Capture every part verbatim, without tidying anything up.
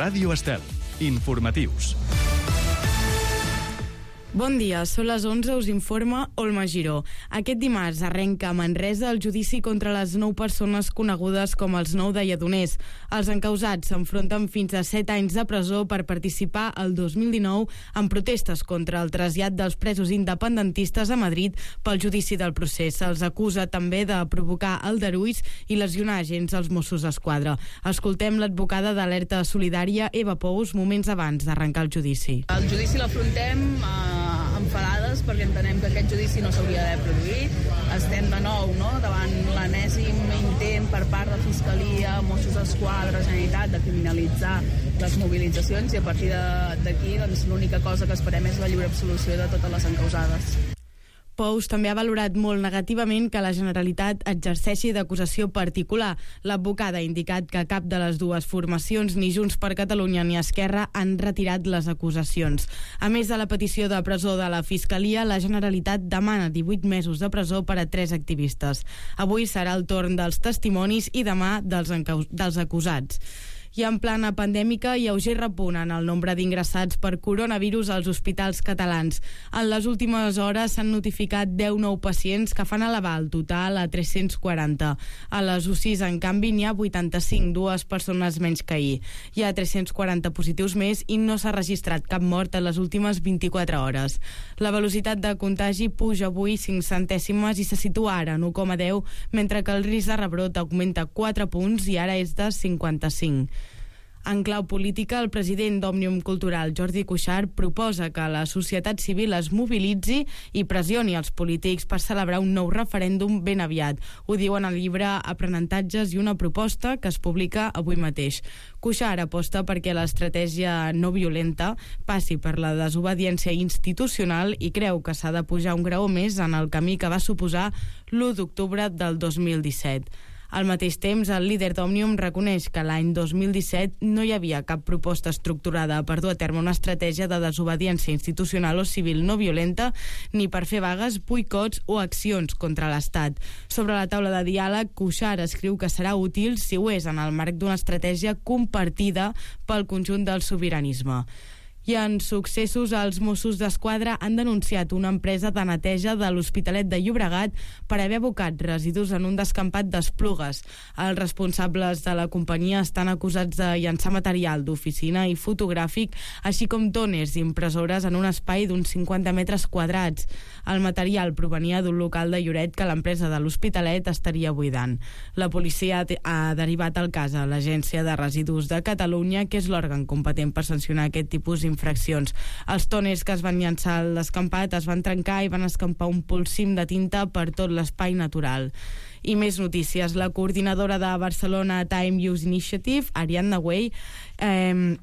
Ràdio Estel. Informatius. Bon dia, són les onze, us informa Olma Giró. Aquest dimarts arrenca a Manresa el judici contra les nou persones conegudes com els nou de Lledoners. Els encausats s'enfronten fins a set anys de presó per participar el dos mil dinou en protestes contra el trasllat dels presos independentistes a Madrid pel judici del procés. Se'ls acusa també de provocar aldarulls i lesionar agents als Mossos d'Esquadra. Escoltem l'advocada d'Alerta Solidària, Eva Pous, moments abans d'arrencar el judici. El judici l'afrontem eh, enfadades perquè entenem que aquest judici no s'hauria d'haver produït. Estem de nou no, davant l'enèsim intent per part de Fiscalia, Mossos d'Esquadra, Generalitat, de criminalitzar les mobilitzacions, i a partir d'aquí doncs, l'única cosa que esperem és la lliure absolució de totes les encausades. Pous també ha valorat molt negativament que la Generalitat exerceixi d'acusació particular. L'advocada ha indicat que cap de les dues formacions, ni Junts per Catalunya ni Esquerra, han retirat les acusacions. A més de la petició de presó de la Fiscalia, la Generalitat demana divuit mesos de presó per a tres activistes. Avui serà el torn dels testimonis i demà dels, encaus- dels acusats. I en plana pandèmica, lleuger repunt en el nombre d'ingressats per coronavirus als hospitals catalans. En les últimes hores s'han notificat deu nous pacients que fan elevar el total a tres-cents quaranta. A les U C Is, en canvi, n'hi ha vuitanta-cinc, dues persones menys que ahir. Hi ha tres-cents quaranta positius més i no s'ha registrat cap mort en les últimes vint-i-quatre hores. La velocitat de contagi puja avui cinc centèsimes i se situa ara en u coma deu, mentre que el risc de rebrot augmenta quatre punts i ara és de cinquanta-cinc. En clau política, el president d'Òmnium Cultural, Jordi Cuixart, proposa que la societat civil es mobilitzi i pressioni els polítics per celebrar un nou referèndum ben aviat. Ho diu en el llibre Aprenentatges i una proposta, que es publica avui mateix. Cuixart aposta perquè l'estratègia no violenta passi per la desobediència institucional i creu que s'ha de pujar un graó més en el camí que va suposar l'u d'octubre del dos mil disset. Al mateix temps, el líder d'Òmnium reconeix que l'any dos mil disset no hi havia cap proposta estructurada per dur a terme una estratègia de desobediència institucional o civil no violenta, ni per fer vagues, boicots o accions contra l'Estat. Sobre la taula de diàleg, Cuixart escriu que serà útil si ho és en el marc d'una estratègia compartida pel conjunt del sobiranisme. I en successos, els Mossos d'Esquadra han denunciat una empresa de neteja de l'Hospitalet de Llobregat per haver abocat residus en un descampat d'Esplugues. Els responsables de la companyia estan acusats de llançar material d'oficina i fotogràfic, així com tòners i impressores en un espai d'uns cinquanta metres quadrats. El material provenia d'un local de Lloret que l'empresa de l'Hospitalet estaria buidant. La policia ha derivat el cas a l'Agència de Residus de Catalunya, que és l'òrgan competent per sancionar aquest tipus d'infraccions. Els tòners que es van llançar al descampat es van trencar i van escampar un polsim de tinta per tot l'espai natural. I més notícies. La coordinadora de Barcelona Time Use Initiative, Ariadna Way, eh,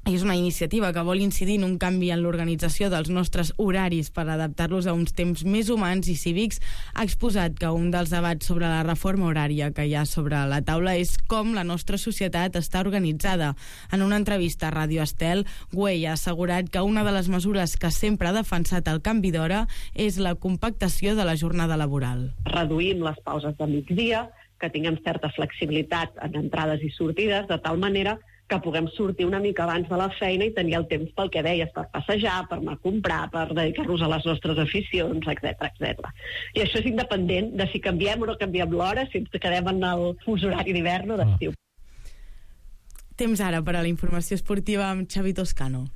és una iniciativa que vol incidir en un canvi en l'organització dels nostres horaris per adaptar-los a uns temps més humans i cívics. Ha exposat que un dels debats sobre la reforma horària que hi ha sobre la taula és com la nostra societat està organitzada. En una entrevista a Ràdio Estel, Güell ha assegurat que una de les mesures que sempre ha defensat el canvi d'hora és la compactació de la jornada laboral. Reduïm les pauses de migdia, que tinguem certa flexibilitat en entrades i sortides, de tal manera que puguem sortir una mica abans de la feina i tenir el temps pel que deies, per passejar, per anar a comprar, per dedicar-nos a les nostres aficions, etcètera, etcètera. I això és independent de si canviem o no canviem l'hora, si ens quedem en el fus horari d'hivern o d'estiu. Temps ara per a la informació esportiva amb Xavi Toscano.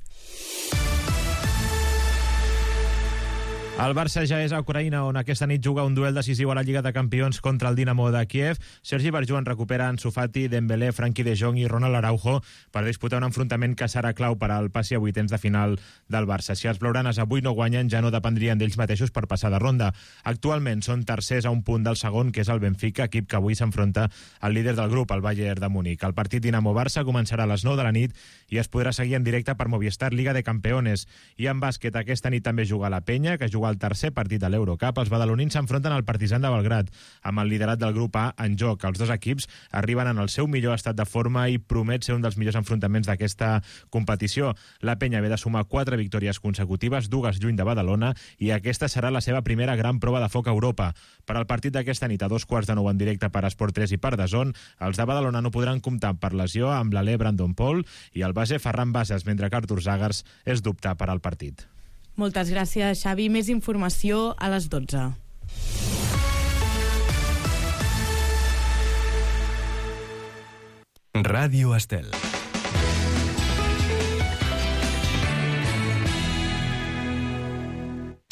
El Barça ja és a Ucraïna, on aquesta nit juga un duel decisiu a la Lliga de Campions contra el Dinamo de Kiev. Sergi Barjuan recupera Ansu Fati, Dembélé, Frenkie de Jong i Ronald Araujo per disputar un enfrontament que serà clau per al passi a vuitens de final del Barça. Si els blaugranes avui no guanyen, ja no dependrien d'ells mateixos per passar de ronda. Actualment són tercers a un punt del segon, que és el Benfica, equip que avui s'enfronta al líder del grup, el Bayern de Múnich. El partit Dinamo-Barça començarà a les nou de la nit i es podrà seguir en directe per Movistar Liga de Campeones. I en bàsquet, aquesta nit també juga la Penya, que juga jugar el tercer partit de l'Eurocup, els badalonins s'enfronten al Partizan de Belgrad, amb el liderat del grup A en joc. Els dos equips arriben en el seu millor estat de forma i promet ser un dels millors enfrontaments d'aquesta competició. La penya ve de sumar quatre victòries consecutives, dues lluny de Badalona, i aquesta serà la seva primera gran prova de foc a Europa. Per al partit d'aquesta nit, a dos quarts de nou en directe per Esport tres i per DAZN, els de Badalona no podran comptar per lesió amb l'alè Brandon Paul i el base Ferran Bases, mentre que Artur Zagars és dubte per al partit. Moltes gràcies, Xavi. Més informació a les dotze. Ràdio Estel.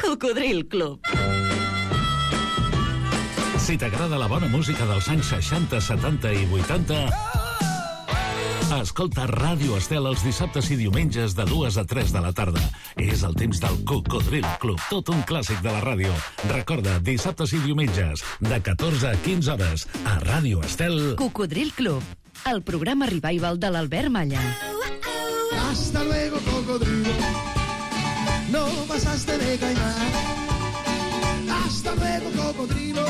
Cocodril Club. Si t'agrada la bona música dels anys seixanta, setanta i vuitanta, escolta Ràdio Estel els dissabtes i diumenges de dues a tres de la tarda. És el temps del Cocodril Club, tot un clàssic de la ràdio. Recorda, dissabtes i diumenges, de catorze a quinze hores, a Ràdio Estel. Cocodril Club, el programa revival de l'Albert Malla. Hasta luego, cocodrilo. No pasaste de caimán. Hasta luego, cocodrilo.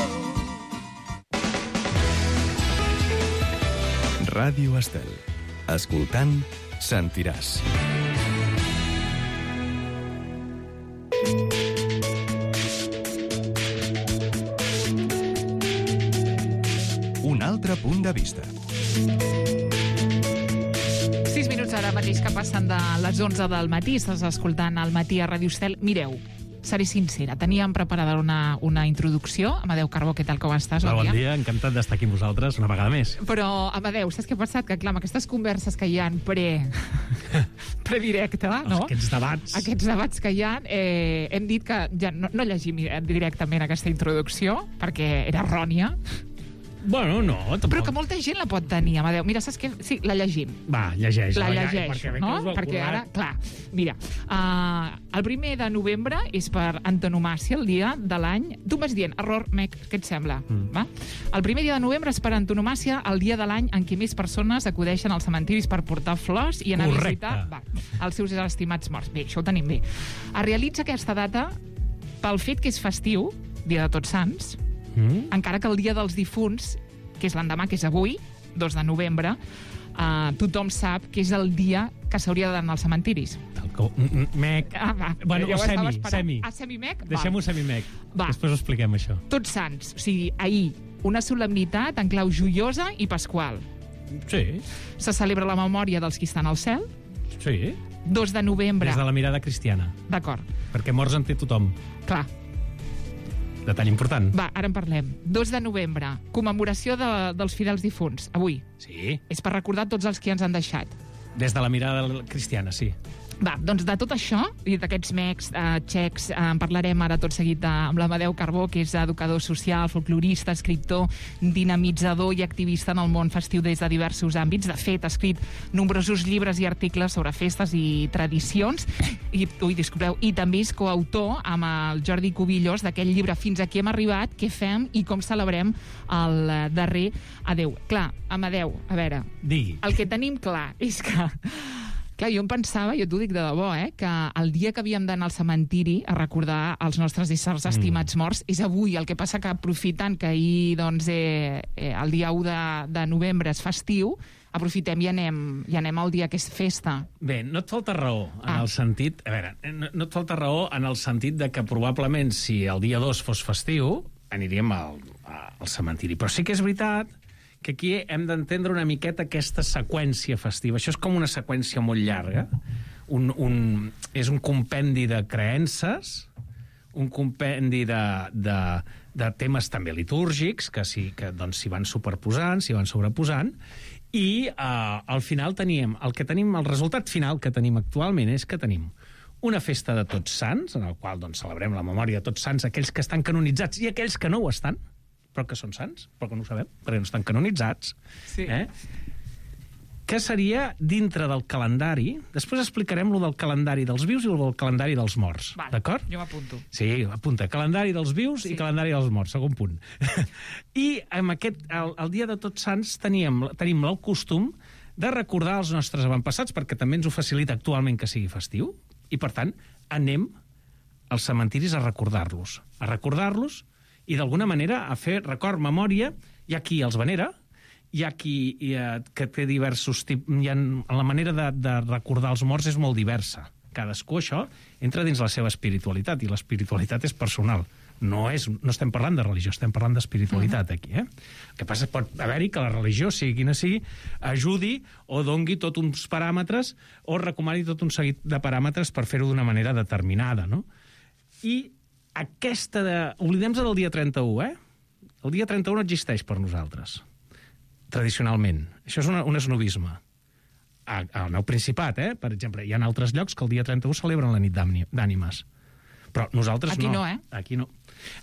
Ràdio Estel. Escoltant, sentiràs. Un altre punt de vista. Sis minuts ara mateix que passen de les onze del matí. Estàs escoltant al matí a Ràdio Estel. Mireu, seré sincera, teníem preparada una, una introducció. Amadeu Carbó, què tal, com estàs? Bon, bon dia, encantat d'estar aquí amb vosaltres una vegada més. Però, Amadeu, saps què ha passat? Que, clar, amb aquestes converses que hi ha pre... predirecte, no? Aquests debats. Aquests debats que hi ha, eh, hem dit que ja no, no llegim directament aquesta introducció, perquè era errònia. Bueno, no, tampoc. Però que molta gent la pot tenir, Amadeu. Mira, saps què? Sí, la llegim. Va, llegeix. La ja, llegeixo, perquè no? Perquè ara, clar, mira, uh, el primer de novembre és per antonomàcia, el dia de l'any... Tu vas dient, error, mec, què et sembla? Mm. Va? El primer dia de novembre és per antonomàcia el dia de l'any en què més persones acudeixen als cementiris per portar flors i anar Correcte. a visitar va, els seus estimats morts. Bé, això ho tenim bé. Es realitza aquesta data pel fet que és festiu, dia de Tots Sants, Mm. encara que el dia dels difunts, que és l'endemà, que és avui, dos de novembre, uh, tothom sap que és el dia que s'hauria d'anar als cementiris. Mec. Ah, va. Bueno, Ja ho semi, estava esperant. semi. Ah, semi-mec? Deixem-ho semi-mec. Va. Després ho expliquem, això. Tots Sants, o sigui, ahir, una solemnitat en clau joiosa i pasqual. Sí. Se celebra la memòria dels qui estan al cel. Sí. dos de novembre. Des de la mirada cristiana. D'acord. Perquè morts en té tothom. Clar. Detall important. Va, ara en parlem. dos de novembre, commemoració de, dels fidels difunts, avui. Sí. És per recordar tots els que ens han deixat. Des de la mirada cristiana, sí. Va, doncs de tot això, i d'aquests mecs, eh, xecs, eh, en parlarem ara tot seguit eh, amb l'Amadeu Carbó, que és educador social, folclorista, escriptor, dinamitzador i activista en el món festiu des de diversos àmbits. De fet, ha escrit nombrosos llibres i articles sobre festes i tradicions, i, ui, disculpeu, i també és coautor amb el Jordi Cubillos d'aquell llibre Fins aquí hem arribat, què fem i com celebrem el darrer adeu. Clar, Amadeu, a veure, Digui. el que tenim clar és que... Clar, jo em pensava, jo t'ho dic de debò, eh, que el dia que havíem d'anar al cementiri a recordar els nostres éssers estimats morts és avui. El que passa que aprofitant que ahir, doncs, eh, eh, el dia u de, de novembre és festiu, aprofitem i anem, i anem al dia que és festa. Bé, no et falta raó en Ah. el sentit... A veure, no, no et falta raó en el sentit de que probablement si el dia dos fos festiu aniríem al, al cementiri. Però sí que és veritat que aquí hem d'entendre una miqueta aquesta seqüència festiva. Això és com una seqüència molt llarga. Un, un, és un compendi de creences, un compendi de, de, de temes també litúrgics, que s'hi que, doncs, s'hi van superposant, s'hi van sobreposant, i eh, al final teníem, el que tenim, el resultat final que tenim actualment és que tenim una festa de Tots Sants, en el qual doncs, celebrem la memòria de Tots Sants, aquells que estan canonitzats i aquells que no ho estan, però que són sants, però que no ho sabem, perquè no estan canonitzats. Sí. Eh? Que seria dintre del calendari... Després explicarem lo del calendari dels vius i lo del calendari dels morts. Vale, d'acord? jo m'apunto. Sí, apunta. Calendari dels vius sí. i calendari dels morts, segon punt. I amb aquest, el, el dia de Tots Sants teníem, tenim el costum de recordar els nostres avantpassats, perquè també ens ho facilita actualment que sigui festiu, i per tant anem als cementiris a recordar-los, a recordar-los i d'alguna manera a fer record, memòria. Hi ha qui els venera, hi ha qui hi ha, que té diversos tipus... Hi ha, la manera de, de recordar els morts és molt diversa. Cadascú, això, entra dins la seva espiritualitat, i l'espiritualitat és personal. No, és, no estem parlant de religió, estem parlant d'espiritualitat aquí. Eh? El que passa pot haver-hi que la religió, sigui quina sigui, ajudi o dongui tots uns paràmetres o recomani tot un seguit de paràmetres per fer-ho d'una manera determinada. No? I aquesta... De... Oblidem-nos del dia trenta-u, eh? El dia trenta-u no existeix per nosaltres, tradicionalment. Això és una, un esnovisme. Al meu Principat, eh? Per exemple, hi ha altres llocs que el dia trenta-u celebren la nit d'ànimes. Però nosaltres Aquí no. no, eh? Aquí no.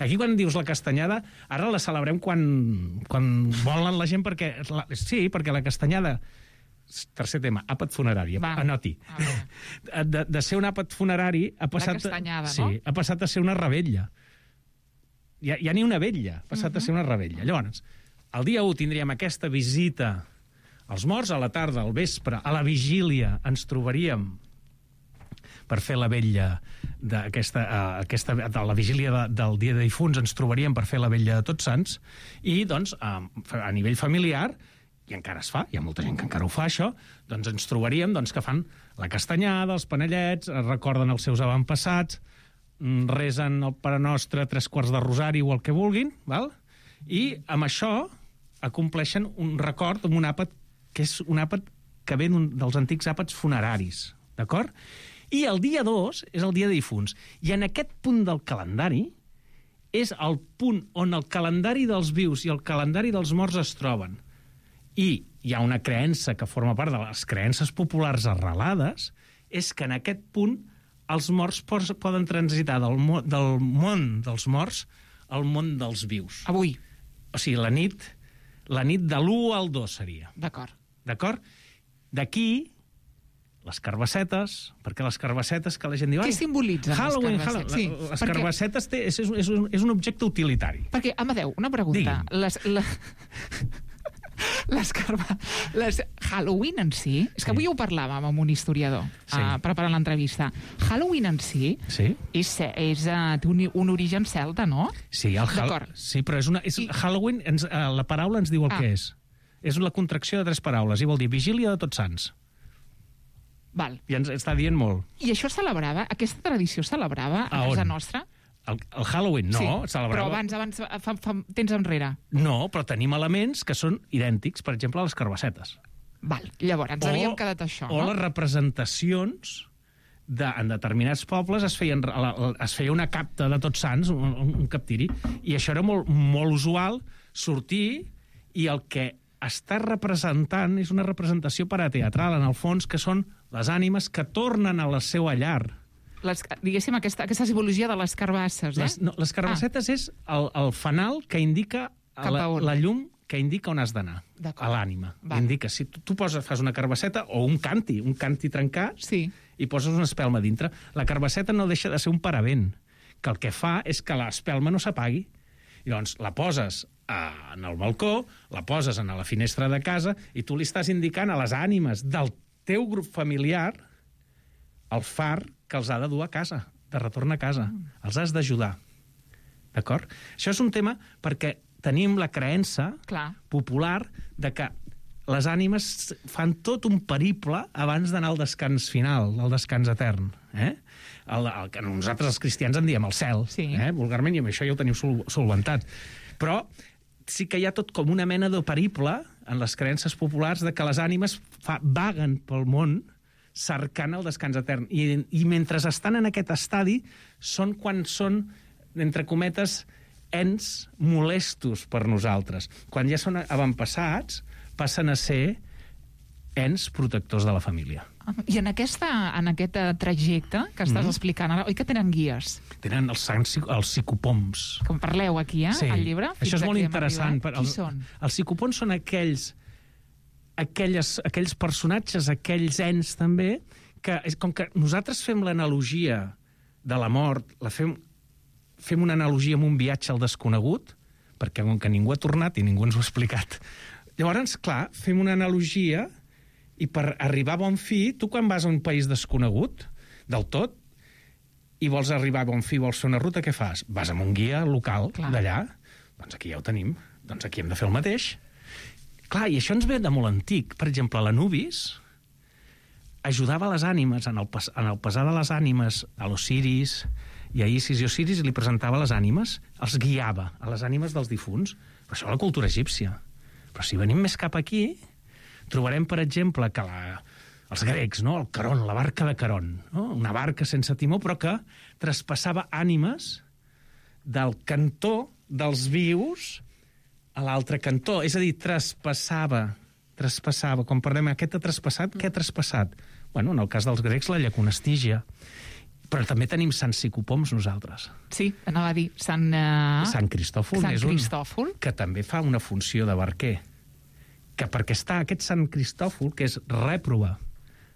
Aquí quan dius la castanyada, ara la celebrem quan, quan volen la gent, perquè... La, sí, perquè la castanyada... Tercer tema, àpat funerari. Va. Anoti. De, de ser un àpat funerari ha passat... La castanyada, sí, no? Ha passat a ser una rebella. Ja, ja ni una vetlla, ha passat uh -huh. a ser una rebella. Llavors, el dia u tindríem aquesta visita als morts, a la tarda, al vespre, a la vigília, ens trobaríem per fer la vetlla d'aquesta, uh, aquesta, a la vigília de, del dia de difunts ens trobaríem per fer la vetlla de Tots Sants, i doncs a, a nivell familiar, i encara es fa, hi ha molta gent que encara ho fa això, doncs ens trobaríem doncs, que fan la castanyada, els panellets, recorden els seus avantpassats, resen el Pare Nostre, tres quarts de rosari o el que vulguin, val? I amb això acompleixen un record amb un àpat que és un àpat que ve dels antics àpats funeraris, d'acord? I el dia dos és el dia de difunts. I en aquest punt del calendari és el punt on el calendari dels vius i el calendari dels morts es troben. I hi ha una creença que forma part de les creences populars arrelades, és que en aquest punt els morts poden transitar del, mo del món dels morts al món dels vius. Avui. O sigui, la nit, la nit de l'u al dos seria. D'acord. D'acord? D'aquí, les carbassetes, perquè les carbassetes que la gent diu... Què simbolitzen Halloween, les carbassetes? Halloween. Sí, les perquè... carbassetes té, és, és, un, és un objecte utilitari. Perquè, Amadeu, una pregunta. Les, la... les, carba... les Halloween en si... És que avui ho parlàvem amb un historiador, sí. uh, preparant l'entrevista. Halloween en si, sí. és, és, uh, té un, un origen celta, no? Sí, el Hall... sí, però és una, és, I... Halloween, ens, uh, la paraula ens diu el ah. que és. És la contracció de tres paraules, i vol dir vigília de Tots Sants. Val. I ens està dient molt. I això celebrava, aquesta tradició celebrava a, a casa nostra? El, el Halloween, no. Sí, celebrava... però abans, abans fa, fa temps enrere. No, però tenim elements que són idèntics, per exemple, les carbassetes. Val, llavors, ens o, havíem quedat això, o no? O les representacions de, en determinats pobles es, feien, es feia una capta de Tots Sants, un, un captiri, i això era molt, molt usual, sortir, i el que està representant és una representació parateatral, en el fons, que són les ànimes que tornen a la seva llar. Les, diguéssim, aquesta, aquesta simbologia de les carbasses, eh? Les, no, les carbassetes ah. és el, el fanal que indica la, la llum que indica on has d'anar, a l'ànima. Indica, si tu, tu poses, fas una carbasseta o un canti, un canti trencat, sí. i poses una espelma dintre, la carbasseta no deixa de ser un paravent, que el que fa és que l'espelma no s'apagui. I llavors la poses a, en el balcó, la poses en la finestra de casa, i tu li estàs indicant a les ànimes del teu grup familiar el far que els ha de dur a casa, de retorn a casa. Mm. Els has d'ajudar. D'acord? Això és un tema perquè tenim la creença Clar. popular de que les ànimes fan tot un periple abans d'anar al descans final, al descans etern. Eh? El, el que nosaltres els cristians en diem el cel, sí. eh? vulgarment, i amb això ja ho teniu sol, solventat. Però sí que hi ha tot com una mena de periple en les creences populars de que les ànimes fa, vaguen pel món cercant el descans etern. I, I mentre estan en aquest estadi són quan són, entre cometes, ens molestos per nosaltres. Quan ja són avantpassats, passen a ser ens protectors de la família. I en, aquesta, en aquest trajecte que estàs mm. explicant ara, oi que tenen guies? Tenen els, els psicopoms. Que en parleu aquí, eh, sí. al llibre? Això és molt interessant. Per, Qui el, són? Els psicopoms són aquells, aquelles, aquells personatges, aquells ens també, que com que nosaltres fem l'analogia de la mort, la fem, fem una analogia amb un viatge al desconegut, perquè com que ningú ha tornat i ningú ens ho ha explicat. Llavors, clar, fem una analogia i per arribar a bon fi, tu quan vas a un país desconegut, del tot, i vols arribar a bon fi, vols fer una ruta, què fas? Vas amb un guia local d'allà, doncs aquí ja ho tenim, doncs aquí hem de fer el mateix. Clar, i això ens ve de molt antic. Per exemple, l'Anubis ajudava les ànimes, en el, pas, en el pesar de les ànimes, a l'Osiris i a Isis i Osiris, i li presentava les ànimes, els guiava a les ànimes dels difunts. Però això és la cultura egípcia. Però si venim més cap aquí, trobarem, per exemple, que la... els grecs, no? El Caron, la barca de Caron, no? Una barca sense timó, però que traspassava ànimes del cantó dels vius a l'altre cantó. És a dir, traspassava, traspassava. Com parlem, aquest ha traspassat, què ha traspassat? Bueno, en el cas dels grecs, la llacuna Estígia. Però també tenim Sant Psicopoms nosaltres. Sí, anava a dir, Sant... Uh... Sant Cristòfol. Sant és un... Cristòfol. Que també fa una funció de barquer. Que perquè està aquest Sant Cristòfol, que és rèprova,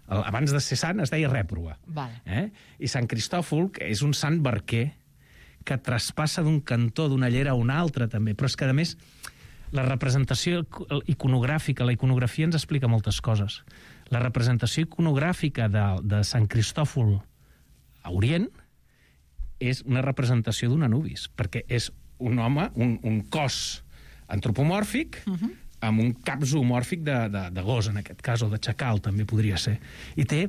abans de ser sant es deia rèprova. Vale. Eh? I Sant Cristòfol, que és un sant barquer que traspassa d'un cantó, d'una llera a una altra, també. Però és que, a més, la representació iconogràfica, la iconografia ens explica moltes coses. La representació iconogràfica de, de Sant Cristòfol a Orient és una representació d'un Anubis, perquè és un home, un, un cos antropomòrfic, uh-huh, amb un cap zoomòrfic de, de, de gos, en aquest cas, o de xacal, també podria ser. I té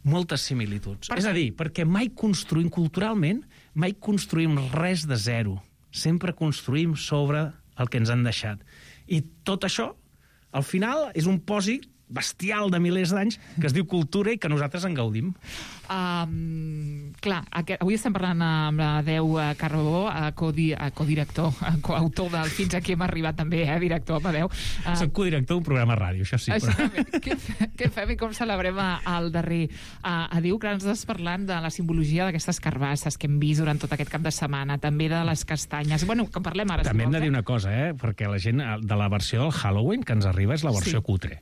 moltes similituds. Per és a dir, perquè mai construïm culturalment, mai construïm res de zero. Sempre construïm sobre el que ens han deixat. I tot això, al final, és un pòsit bestial de milers d'anys que es diu cultura i que nosaltres en gaudim. Um, clar, aquest, avui estem parlant amb Adeu Carbó, codi, codirector, coautor del Fins aquí hem arribat també, eh, director, Adeu. Uh, Soc codirector d'un programa ràdio, això sí. Però... què, què fem i com celebrem al darrer? Uh, Adeu, clar, ens estàs parlant de la simbologia d'aquestes carbasses que hem vist durant tot aquest cap de setmana, també de les castanyes. Bueno, que en parlem ara. També si hem vols, de dir una cosa, eh? Perquè la gent de la versió del Halloween que ens arriba és la versió sí. cutre.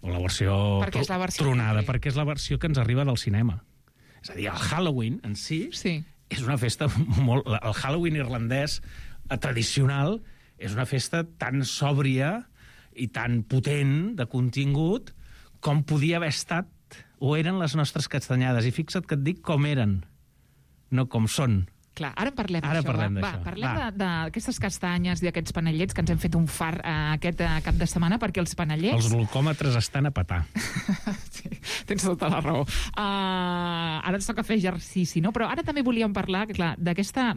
O la versió, perquè és la versió tronada, cutre. Perquè és la versió que ens arriba del cinema. És a dir, el Halloween en si sí. és una festa molt... El Halloween irlandès tradicional és una festa tan sòbria i tan potent de contingut com podia haver estat o eren les nostres castanyades. I fixa't que et dic com eren, no com són. Clar, ara en parlem ara d'això. Parlem va, va, parlem d'aquestes castanyes i d'aquests panellets que ens hem fet un far uh, aquest uh, cap de setmana, perquè els panellets... Els glucòmetres estan a petar. Sí, tens tota la raó. Uh, ara ens toca fer exercici, no? Però ara també volíem parlar, que clar, d'aquesta...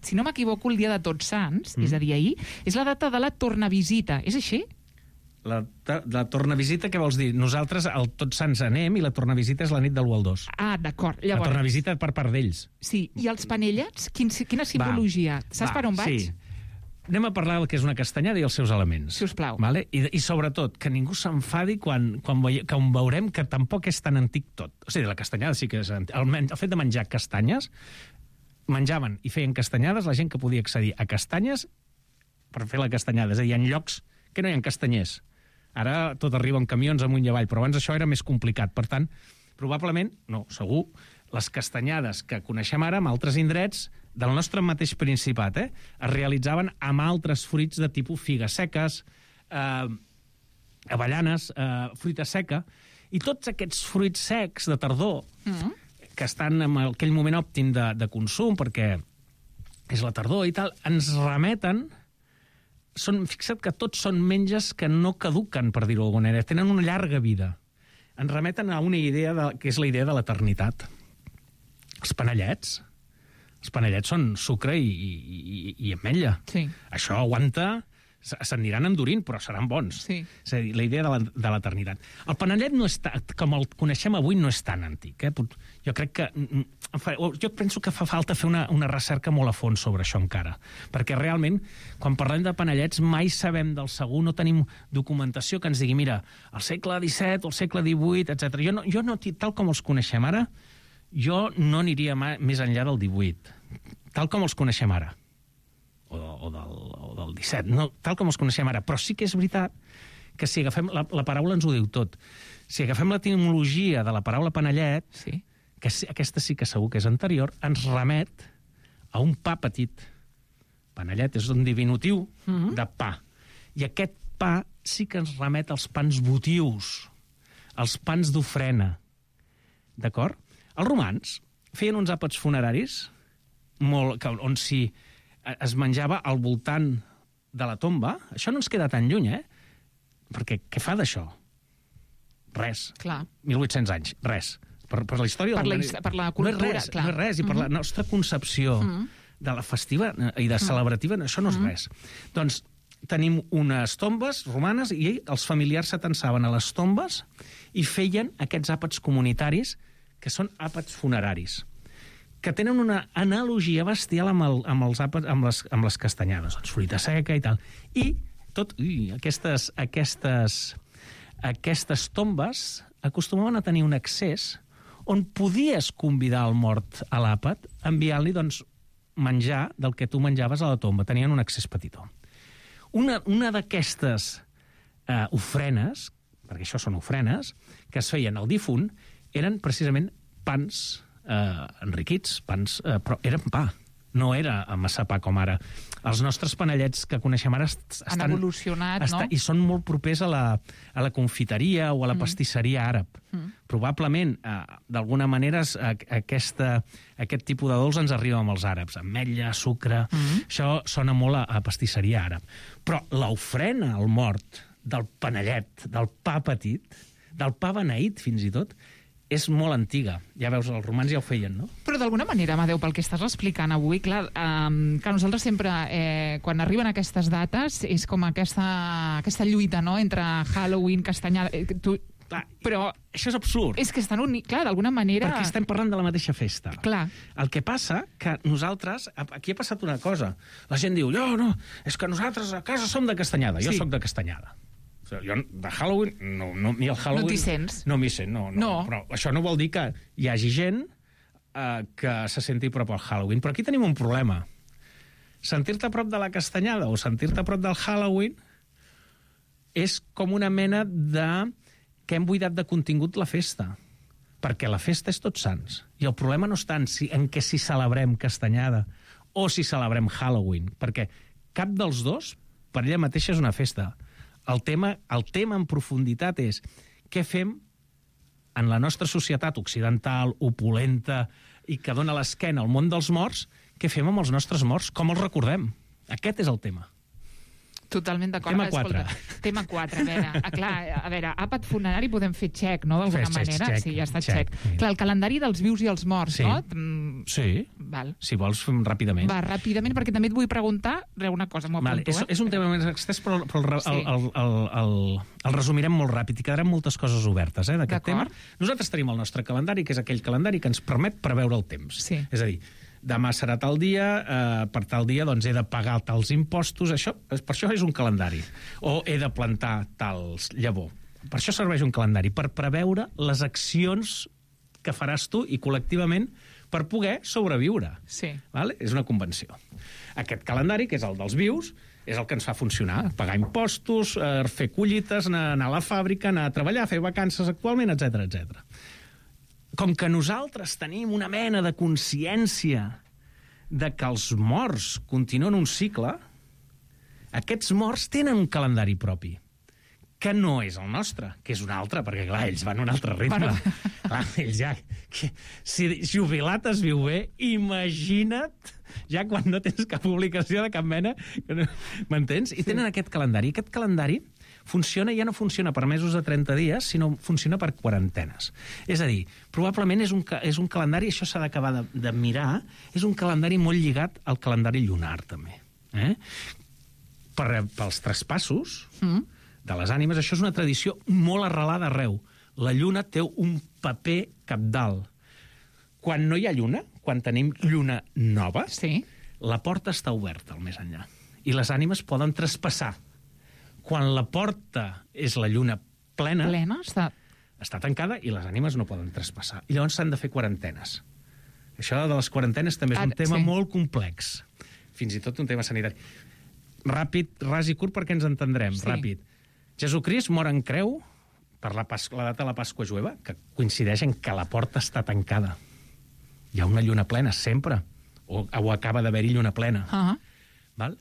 Si no m'equivoco, el dia de Tots Sants, mm. és a dir, ahir, és la data de la tornavisita. És així? La, la tornavisita, què vols dir? Nosaltres al Tots Sants anem i la tornavisita és la nit del u al dos. Ah, d'acord. Llavors... La tornavisita per part d'ells. Sí, i els panellets? Quin, quina simbologia? Va, Saps va, per on vaig? Sí. Anem a parlar del que és una castanyada i els seus elements. Sisplau. Vale? I, I sobretot, que ningú s'enfadi quan, quan, veie, quan veurem que tampoc és tan antic tot. O sigui, la castanyada sí que és antic. El, el fet de menjar castanyes, menjaven i feien castanyades la gent que podia accedir a castanyes per fer la castanyada. És a dir, en llocs que no hi ha castanyers. Ara tot arriba en camions amunt i avall, però abans això era més complicat. Per tant, probablement, no, segur, les castanyades que coneixem ara en altres indrets del nostre mateix Principat, eh, es realitzaven amb altres fruits de tipus figues seques, eh, avellanes, eh, fruita seca, i tots aquests fruits secs de tardor, mm. que estan en aquell moment òptim de, de consum, perquè és la tardor i tal, ens remeten... Són, fixa't que tots són menges que no caduquen, per dir-ho d'alguna manera, tenen una llarga vida. Ens remeten a una idea de, que és la idea de l'eternitat. Els panellets. Els panellets són sucre i, i, i ametlla. Sí. Això aguanta... S'aniran endurint, però seran bons. Sí. És a dir, la idea de l'eternitat. El panellet, no és ta, com el coneixem avui, no és tan antic. Eh? Jo crec que... Jo penso que fa falta fer una, una recerca molt a fons sobre això encara. Perquè realment, quan parlem de panellets, mai sabem del segur, no tenim documentació que ens digui, mira, al segle disset o al segle divuit, etcètera. Jo no, jo no, tal com els coneixem ara, jo no aniria més enllà del divuit. Tal com els coneixem ara. O, o, del, o del disset, no, tal com els coneixem ara. Però sí que és veritat que si agafem... La, la paraula ens ho diu tot. Si agafem l'etimologia de la paraula panellet, sí. que aquesta sí que segur que és anterior, ens remet a un pa petit. Panellet és un diminutiu mm-hmm. de pa. I aquest pa sí que ens remet als pans votius, als pans d'ofrena. D'acord? Els romans feien uns àpats funeraris molt, que, on si es menjava al voltant de la tomba. Això no ens queda tan lluny, eh? Perquè què fa d'això? Res. Clar. mil vuit-cents anys, res. Per, per la història... Per la, del... per la cultura, no és res, clar. No és res, i per mm-hmm. la nostra concepció mm-hmm. de la festiva i de celebrativa, mm-hmm. això no és mm-hmm. res. Doncs tenim unes tombes romanes i els familiars s'atansaven a les tombes i feien aquests àpats comunitaris, que són àpats funeraris, que tenen una analogia bestial amb, el, amb, els àpats, amb, les, amb les castanyades, doncs fruita seca i tal. I tot, ui, aquestes, aquestes, aquestes tombes acostumaven a tenir un accés on podies convidar el mort a l'àpat enviant-li doncs, menjar del que tu menjaves a la tomba. Tenien un accés petitó. Una, una d'aquestes eh, ofrenes, perquè això són ofrenes, que es feien al difunt, eren precisament pans eh, enriquits, pans, eh, però eren pa, no era massa pa com ara. Els nostres panellets que coneixem ara est han estan, evolucionat, estan, no? I són molt propers a la, a la confiteria o a la mm. pastisseria àrab. Mm. Probablement, eh, d'alguna manera, a, aquesta, aquest tipus de dolç ens arriba amb els àrabs. Ametlla, sucre... Mm. Això sona molt a, a pastisseria àrab. Però l'ofrena al mort del panellet, del pa petit, del pa beneït, fins i tot, és molt antiga. Ja veus, els romans ja ho feien, no? Però d'alguna manera, Amadeu, pel que estàs explicant avui, clar, eh, que nosaltres sempre, eh, quan arriben aquestes dates, és com aquesta, aquesta lluita, no?, entre Halloween, castanyada... Eh, tu... Clar, però això és absurd. És que estan units, clar, d'alguna manera... Perquè estem parlant de la mateixa festa. Clar. El que passa que nosaltres... Aquí ha passat una cosa. La gent diu, no, no, és que nosaltres a casa som de castanyada. Jo sí. sóc de castanyada. Jo de Halloween, no, no, ni el Halloween... No t'hi sents? No m'hi sent, no, no, no. Però això no vol dir que hi hagi gent eh, que se senti a prop al Halloween. Però aquí tenim un problema. Sentir-te a prop de la castanyada o sentir-te a prop del Halloween és com una mena de... que hem buidat de contingut la festa. Perquè la festa és Tots Sants. I el problema no està en, si, en què si celebrem castanyada o si celebrem Halloween. Perquè cap dels dos, per ella mateixa, és una festa. El tema, el tema en profunditat és què fem en la nostra societat occidental, opulenta, i que dona l'esquena al món dels morts, què fem amb els nostres morts? Com els recordem? Aquest és el tema. Totalment d'acord. Tema quatre. Tema quatre. A veure, a, clar, a veure, àpat funerari podem fer xec, no?, d'alguna manera. Xec, sí, ja està xec. xec. Clar, el calendari dels vius i els morts, sí. no? Mm, sí. Val. Si vols, fem ràpidament. Va, ràpidament, perquè també et vull preguntar una cosa, m'ho apunto, vale. és, eh? és un tema més extès, però, però el, sí. el, el, el, el, el resumirem molt ràpid i quedaran moltes coses obertes, eh, d'aquest tema. Nosaltres tenim el nostre calendari, que és aquell calendari que ens permet preveure el temps. Sí. És a dir, demà serà tal dia, eh, per tal dia doncs he de pagar tals impostos, això, per això és un calendari. O he de plantar tals llavor. Per això serveix un calendari, per preveure les accions que faràs tu i col·lectivament per poder sobreviure. Sí. Vale? És una convenció. Aquest calendari, que és el dels vius, és el que ens fa funcionar. Pagar impostos, eh, fer collites, anar, anar a la fàbrica, anar a treballar, fer vacances actualment, etcètera, etcètera. Com que nosaltres tenim una mena de consciència de que els morts continuen un cicle, aquests morts tenen un calendari propi, que no és el nostre, que és un altre, perquè, clar, ells van a un altre ritme. Bueno. Clar, ells ja... Que, si jubilat es viu bé, imagina't ja quan no tens cap publicació de cap mena, m'entens? I tenen aquest calendari. Aquest calendari funciona, ja no funciona per mesos de trenta dies, sinó funciona per quarantenes. És a dir, probablement és un, és un calendari, això s'ha d'acabar de, de mirar, és un calendari molt lligat al calendari lunar, també. Eh? Per, pels traspassos mm. de les ànimes, això és una tradició molt arrelada arreu. La lluna té un paper cabdal. Quan no hi ha lluna, quan tenim lluna nova, sí. la porta està oberta al més enllà. I les ànimes poden traspassar. Quan la porta és la lluna plena, plena està... està tancada i les ànimes no poden traspassar. I llavors s'han de fer quarantenes. Això de les quarantenes també és un tema sí. molt complex. Fins i tot un tema sanitari. Ràpid, ras i curt, perquè ens entendrem. Sí. Ràpid. Jesucrist mor en creu per la, Pas la data de la Pasqua jueva, que coincideix en que la porta està tancada. Hi ha una lluna plena, sempre. O, o acaba d'haver-hi lluna plena. Uh-huh. Val?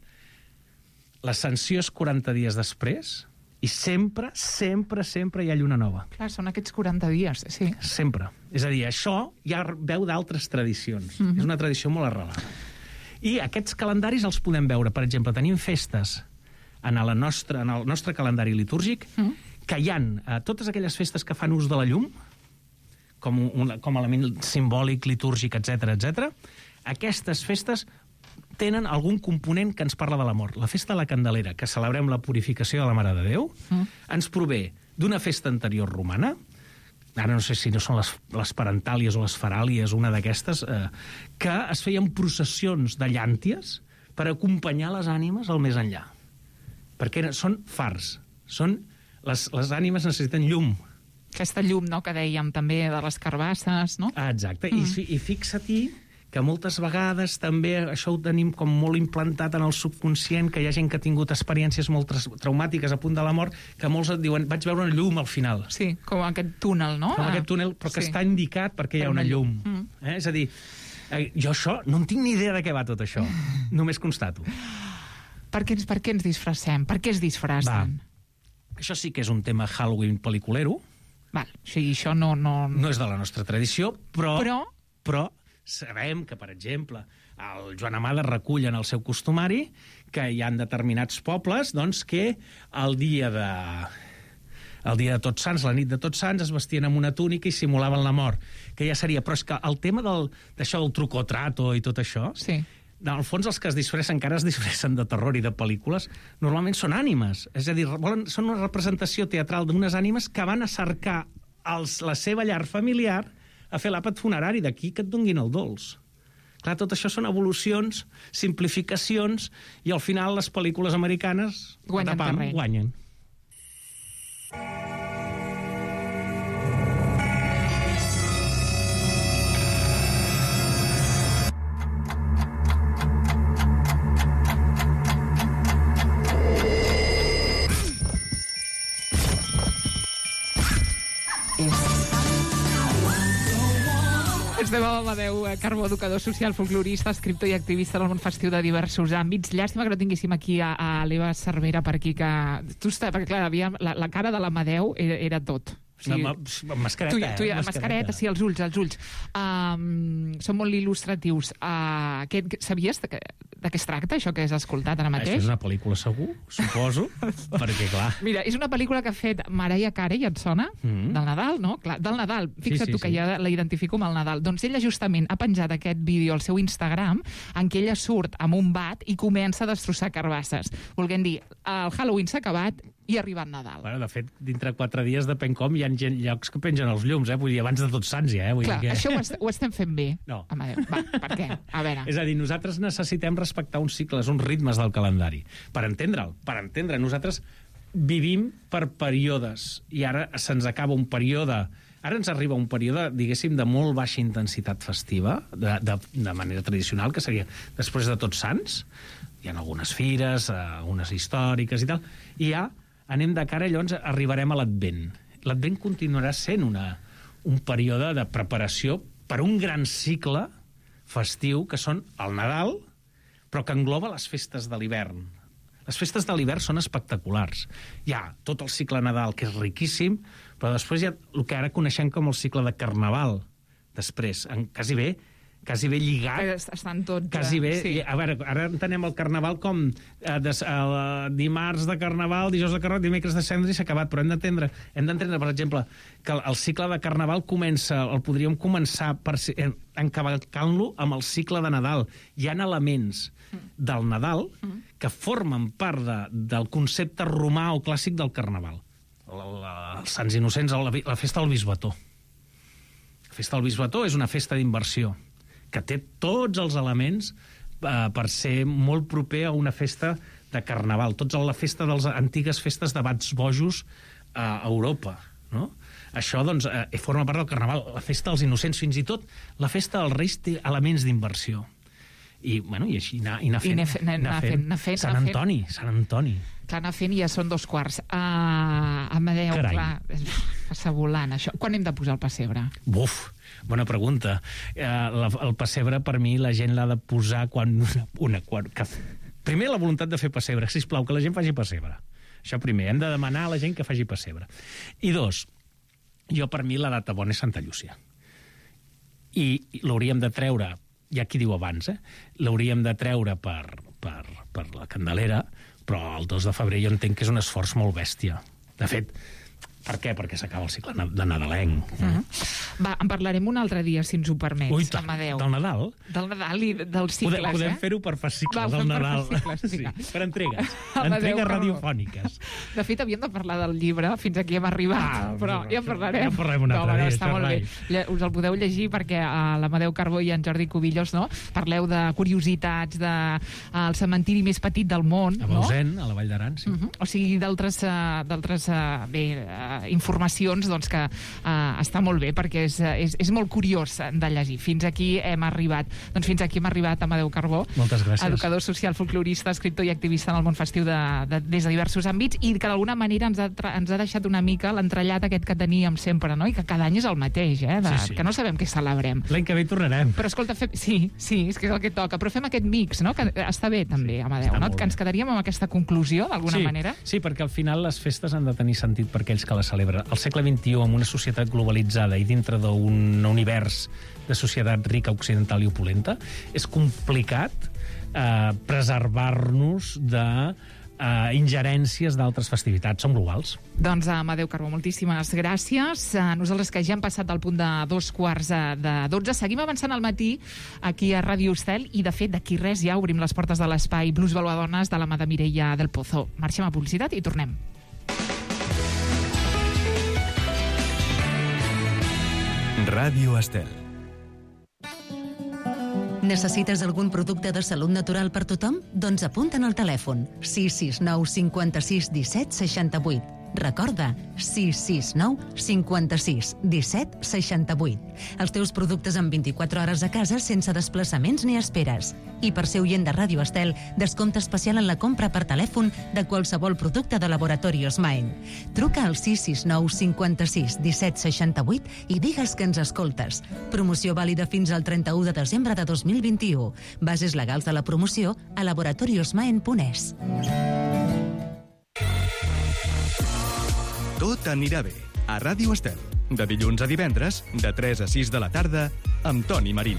La sanció és quaranta dies després I sempre, sempre, sempre hi ha lluna nova. Clar, són aquests quaranta dies, sí. Sempre. És a dir, això ja veu d'altres tradicions. Mm-hmm. És una tradició molt arrelada. I aquests calendaris els podem veure. Per exemple, tenim festes en, la nostra, en el nostre calendari litúrgic mm. que hi ha eh, totes aquelles festes que fan ús de la llum, com, un, com a element simbòlic, litúrgic, etcètera, etcètera. Aquestes festes tenen algun component que ens parla de la mort. La festa de la Candelera, que celebrem la purificació de la Mare de Déu, mm. ens prové d'una festa anterior romana, ara no sé si no són les, les parentàlies o les faràlies, una d'aquestes, eh, que es feien processions de llànties per acompanyar les ànimes al més enllà. Perquè eren, són fars, són, les, les ànimes necessiten llum. Aquesta llum, no?, que dèiem també de les carbasses, no? Ah, exacte, mm. I, i fixa-t'hi que moltes vegades també això ho tenim com molt implantat en el subconscient, que hi ha gent que ha tingut experiències molt traumàtiques a punt de la mort, que molts et diuen, vaig veure una llum al final. Sí, com aquest túnel, no? Com aquest túnel, però que sí. està indicat perquè hi ha una llum. Mm. Eh? És a dir, eh, jo això, no en tinc ni idea de què va tot això, només constato. Per què, per què ens disfressem? Per què es disfressen? Va. Això sí que és un tema Halloween pel·liculero. Val, o sigui, això no... No, no és de la nostra tradició, però... Però... però sabem que, per exemple, el Joan Amades recull en el seu costumari que hi ha determinats pobles doncs, que el dia de... el dia de Tots Sants, la nit de Tots Sants, es vestien amb una túnica i simulaven la mort, que ja seria... Però és que el tema del, d'això del truco trato i tot això, sí. En el fons els que es disfressen, encara es disfressen de terror i de pel·lícules, normalment són ànimes. És a dir, volen, són una representació teatral d'unes ànimes que van a cercar els, la seva llar familiar a fer l'àpat funerari, d'aquí que et donguin el dolç. Clar, tot això són evolucions, simplificacions, i al final les pel·lícules americanes guanyen tapam, guanyen. Estem amb Amadeu Carbó, educador social, folclorista, escriptor i activista del món festiu de diversos àmbits. Llàstima que no tinguéssim aquí a, a l'Eva Cervera per aquí, que... Tu està, perquè, clar, havia, la, la cara de l'Amadeu era, era tot. O sigui, amb mascareta, tu, tu, eh? Mascareta, mascareta, sí, els ulls, els ulls. Um, són molt il·lustratius. Uh, que, sabies de, de què es tracta, això que has escoltat ara mateix? Això és una pel·lícula segur, suposo, perquè, clar... Mira, és una pel·lícula que ha fet Mariah Carey, et sona? Mm-hmm. Del Nadal, no? Clar, del Nadal. Fixa't sí, sí, tu que sí. Ja la identifico amb el Nadal. Doncs ella justament ha penjat aquest vídeo al seu Instagram en què ella surt amb un bat i comença a destrossar carbasses. Volguem dir, el Halloween s'ha acabat i ha arribat Nadal. Bueno, de fet, dintre quatre dies, depèn com, hi ha gent, llocs que pengen els llums, eh? Vull dir, abans de Tots Sants, ja, eh? Vull Clar, dir que... això ho, est ho estem fent bé. No. Amadeu, va, per què? A veure. És a dir, nosaltres necessitem respectar uns cicles, uns ritmes del calendari. Per entendre'l, per entendre, nosaltres vivim per períodes, i ara se'ns acaba un període... Ara ens arriba un període, diguéssim, de molt baixa intensitat festiva, de, de, de manera tradicional, que seria després de Tots Sants. Hi ha algunes fires, unes històriques i tal, i ja anem de cara, llavors arribarem a l'Advent. L'Advent continuarà sent una, un període de preparació per un gran cicle festiu, que són el Nadal, però que engloba les festes de l'hivern. Les festes de l'hivern són espectaculars. Hi ha tot el cicle Nadal, que és riquíssim, però després hi ha el que ara coneixem com el cicle de Carnaval. Després, en, quasi bé, quasi bé lligat... Estan tots... Quasi bé... Sí. A veure, ara entenem el Carnaval com eh, des, eh, dimarts de Carnaval, dijous de Carnaval, dimecres de Cendra i s'ha acabat, però hem d'entendre, hem d'entendre, per exemple, que el, el cicle de Carnaval comença, el podríem començar per, eh, encavalcant-lo amb el cicle de Nadal. Hi ha elements del Nadal que formen part de, del concepte romà o clàssic del Carnaval. La, la, els Sants Innocents, la, la festa del Bisbató. La festa del Bisbató és una festa d'inversió que té tots els elements eh, per ser molt proper a una festa de Carnaval. Tots la festa de les antigues festes de bats bojos eh, a Europa, no? Això, doncs, eh, forma part del Carnaval. La festa dels Innocents, fins i tot la festa dels Reis té elements d'inversió. I, bueno, i així anar, anar fent. I anar fent, anar fent, anar fent. Sant Antoni, Sant Antoni. Clar, anar fent i ja són dos quarts. Uh, Amadeu, Carai. clar, passa volant, això. Quan hem de posar el pessebre? Buf, bona pregunta. Uh, la, el pessebre, per mi, la gent l'ha de posar quan... Una, una, quan que, primer, la voluntat de fer pessebre. Sisplau, que la gent faci pessebre. Això primer, hem de demanar a la gent que faci pessebre. I dos, jo per mi la data bona és Santa Llúcia. I l'hauríem de treure, hi ha qui diu abans, eh? L'hauríem de treure per, per, per la Candelera, però el dos de febrer jo entenc que és un esforç molt bèstia. De fet, per què? Perquè s'acaba el cicle de nadalenc. Uh-huh. Va, en parlarem un altre dia, si ens ho permets, Ui, Amadeu. Del Nadal? Del Nadal i dels cicles, podem, podem eh? fer-ho per fascicles, Va, del Nadal. Per, fascicles, sí, per entregues. Amadeu, entregues però... radiofòniques. De fet, havíem de parlar del llibre, fins aquí hem arribat, ah, però ja en parlarem. Ja en parlarem un altre no, dia, no, està molt bé. Us el podeu llegir perquè uh, l'Amadeu Carbó i en Jordi Cubillos, no? Parleu de curiositats, del de, uh, cementiri més petit del món, a no? A Bausen, a la Vall d'Aran, sí. Uh -huh. O sigui, d'altres uh, d'altres uh, bé, uh, informacions doncs, que uh, està molt bé perquè és, és, és molt curiós de llegir. Fins aquí hem arribat. Doncs fins aquí hem arribat, Amadeu Carbó. Moltes gràcies. Educador social, folclorista, escriptor i activista en el món festiu de, de, des de diversos àmbits i que d'alguna manera ens ha, ens ha deixat una mica l'entrellat aquest que teníem sempre, no? I que cada any és el mateix, eh? De, sí, sí. Que no sabem què celebrem. L'any que ve hi tornarem. Però escolta, fem... sí, sí, és que és el que toca. Però fem aquest mix, no? Que està bé també, sí, Amadeu, no? Que ens quedaríem amb aquesta conclusió, d'alguna sí, manera. Sí, perquè al final les festes han de tenir sentit per aquells que les celebren. Al segle vint-i-u, amb una societat globalitzada i dintre d'un univers de societat rica, occidental i opulenta, és complicat eh, preservar-nos de eh, ingerències d'altres festivitats. Som globals. Doncs, Amadeu Carbó, moltíssimes gràcies. Nosaltres, que ja hem passat del punt de dos quarts de dotze, seguim avançant al matí aquí a Ràdio Estel i, de fet, d'aquí res ja obrim les portes de l'espai Blues Valuadones de la mà de Mireia del Pozo. Marxem a publicitat i tornem. Ràdio Estel. Necessites algun producte de salut natural per tothom? Doncs apunta'n al telèfon sis sis nou cinquanta-sis disset seixanta-vuit. Recorda, sis sis nou cinquanta-sis disset seixanta-vuit. Els teus productes en vint-i-quatre hores a casa sense desplaçaments ni esperes. I per ser oient de Ràdio Estel, descompte especial en la compra per telèfon de qualsevol producte de Laboratorios Maen. Truca al sis sis nou cinquanta-sis disset seixanta-vuit i digues que ens escoltes. Promoció vàlida fins al trenta-u de desembre de dos mil vint-i-u. Bases legals de la promoció a laboratoriosmaen punt es. Tot anirà bé. A Ràdio Estel. De dilluns a divendres, de tres a sis de la tarda, amb Toni Marín.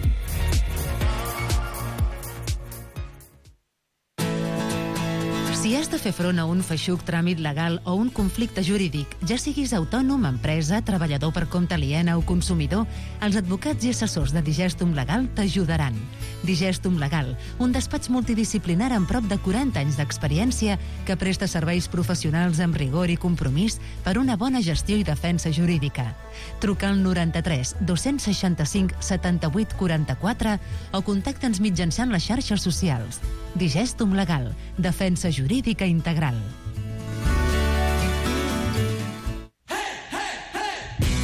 Si has de fer front a un feixuc tràmit legal o un conflicte jurídic, ja siguis autònom, empresa, treballador per compte aliena o consumidor, els advocats i assessors de Digestum Legal t'ajudaran. Digestum Legal, un despatx multidisciplinar amb prop de quaranta anys d'experiència que presta serveis professionals amb rigor i compromís per una bona gestió i defensa jurídica. Truca al noranta-tres dos-cents seixanta-cinc setanta-vuit quaranta-quatre o contacta'ns mitjançant les xarxes socials. Digestum Legal, defensa jurídica integral.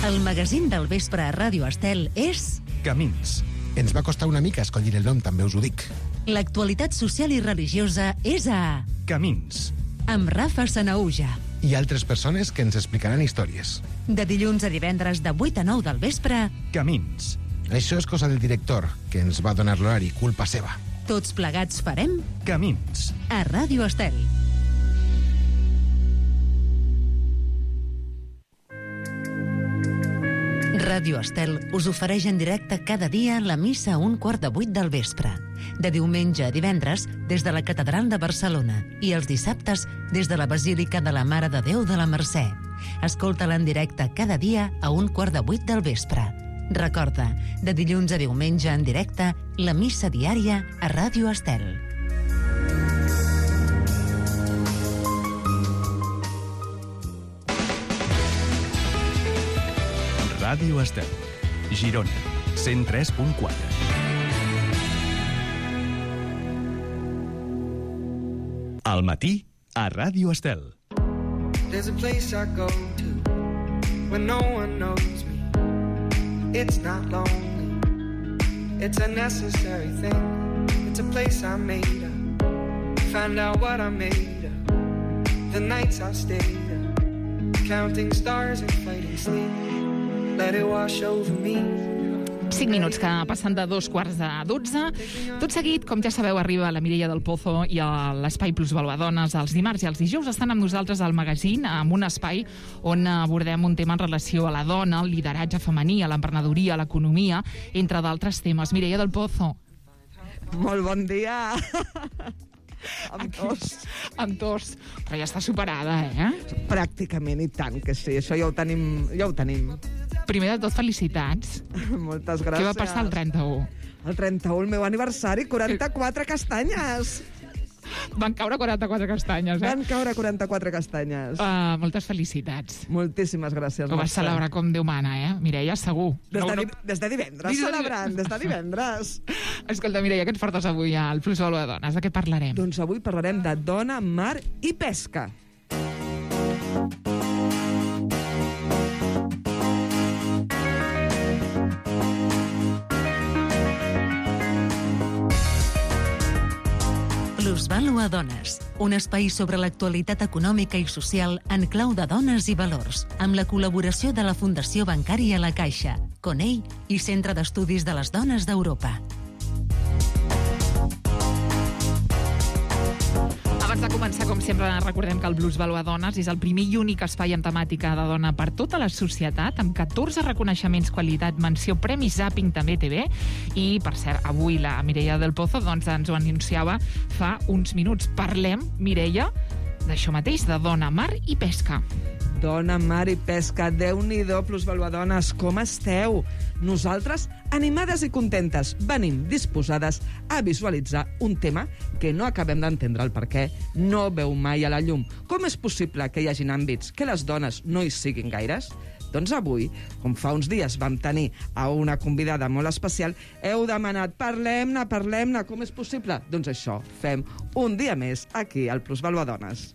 El magazín del vespre a Ràdio Estel és... Camins. Ens va costar una mica escollir el nom, també us ho dic. L'actualitat social i religiosa és a... Camins. Amb Rafa Sanaúja. I altres persones que ens explicaran històries. De dilluns a divendres de vuit a nou del vespre... Camins. Això és cosa del director, que ens va donar l'horari, culpa seva. Tots plegats farem... Camins. A Ràdio Estel. Ràdio Estel us ofereix en directe cada dia la missa a un quart de vuit del vespre. De diumenge a divendres, des de la Catedral de Barcelona, i els dissabtes, des de la Basílica de la Mare de Déu de la Mercè. Escolta-la en directe cada dia a un quart de vuit del vespre. Recorda, de dilluns a diumenge en directe, la missa diària a Ràdio Estel. Ràdio Estel. Girona, cent tres punt quatre. Al matí, a Ràdio Estel. There's a place I go to when no one knows me. It's not lonely, it's a necessary thing. It's a place I made up, find out what I made of. The nights I stayed up, counting stars and fighting sleep. Let it wash over me, cinc minuts que passen de dos quarts de dotze. Tot seguit, com ja sabeu, arriba la Mireia del Pozo i l'Espai Plusvaluadones els dimarts i els dijous estan amb nosaltres al magazín, amb un espai on abordem un tema en relació a la dona, al lideratge femení, a l'emprenedoria, a l'economia, entre d'altres temes. Mireia del Pozo. Molt bon dia. Amb tos. Amb tos. Però ja està superada, eh? Pràcticament, i tant que sí. Això ja ho tenim. Ja ho tenim. Primer de tot, felicitats. Moltes gràcies. Què va passar el trenta-u? El trenta-u, el meu aniversari, quaranta-quatre castanyes. Van caure quaranta-quatre castanyes, eh? Van caure quaranta-quatre castanyes. Uh, moltes felicitats. Moltíssimes gràcies. Ho vas celebrar com Déu mana, eh? Mireia, segur. Des de, no, no... des de divendres, des de... celebrant, des de divendres. Escolta, Mireia, què ens portes avui al Plusvaluadones? De què parlarem? Doncs avui parlarem de dona, mar i pesca. Plusvaluadones, un espai sobre l'actualitat econòmica i social en clau de dones i valors, amb la col·laboració de la Fundació Bancària La Caixa, Conell i Centre d'Estudis de les Dones d'Europa. Abans de començar, com sempre, recordem que el Plusvaluadones és el primer i únic espai en temàtica de dona per tota la societat, amb catorze reconeixements, qualitat, menció, Premi Zapping, també T V. I, per cert, avui la Mireia del Pozo doncs, ens ho anunciava fa uns minuts. Parlem, Mireia, d'això mateix, de dona, mar i pesca. Dona, mar i pesca, Déu-n'hi-do, Plusvaluadones, com esteu? Nosaltres, animades i contentes, venim disposades a visualitzar un tema que no acabem d'entendre el perquè no veu mai a la llum. Com és possible que hi hagin àmbits que les dones no hi siguin gaires? Doncs avui, com fa uns dies vam tenir a una convidada molt especial, heu demanat, parlem-ne, parlem-ne, com és possible? Doncs això, fem un dia més aquí al Plusvaluadones.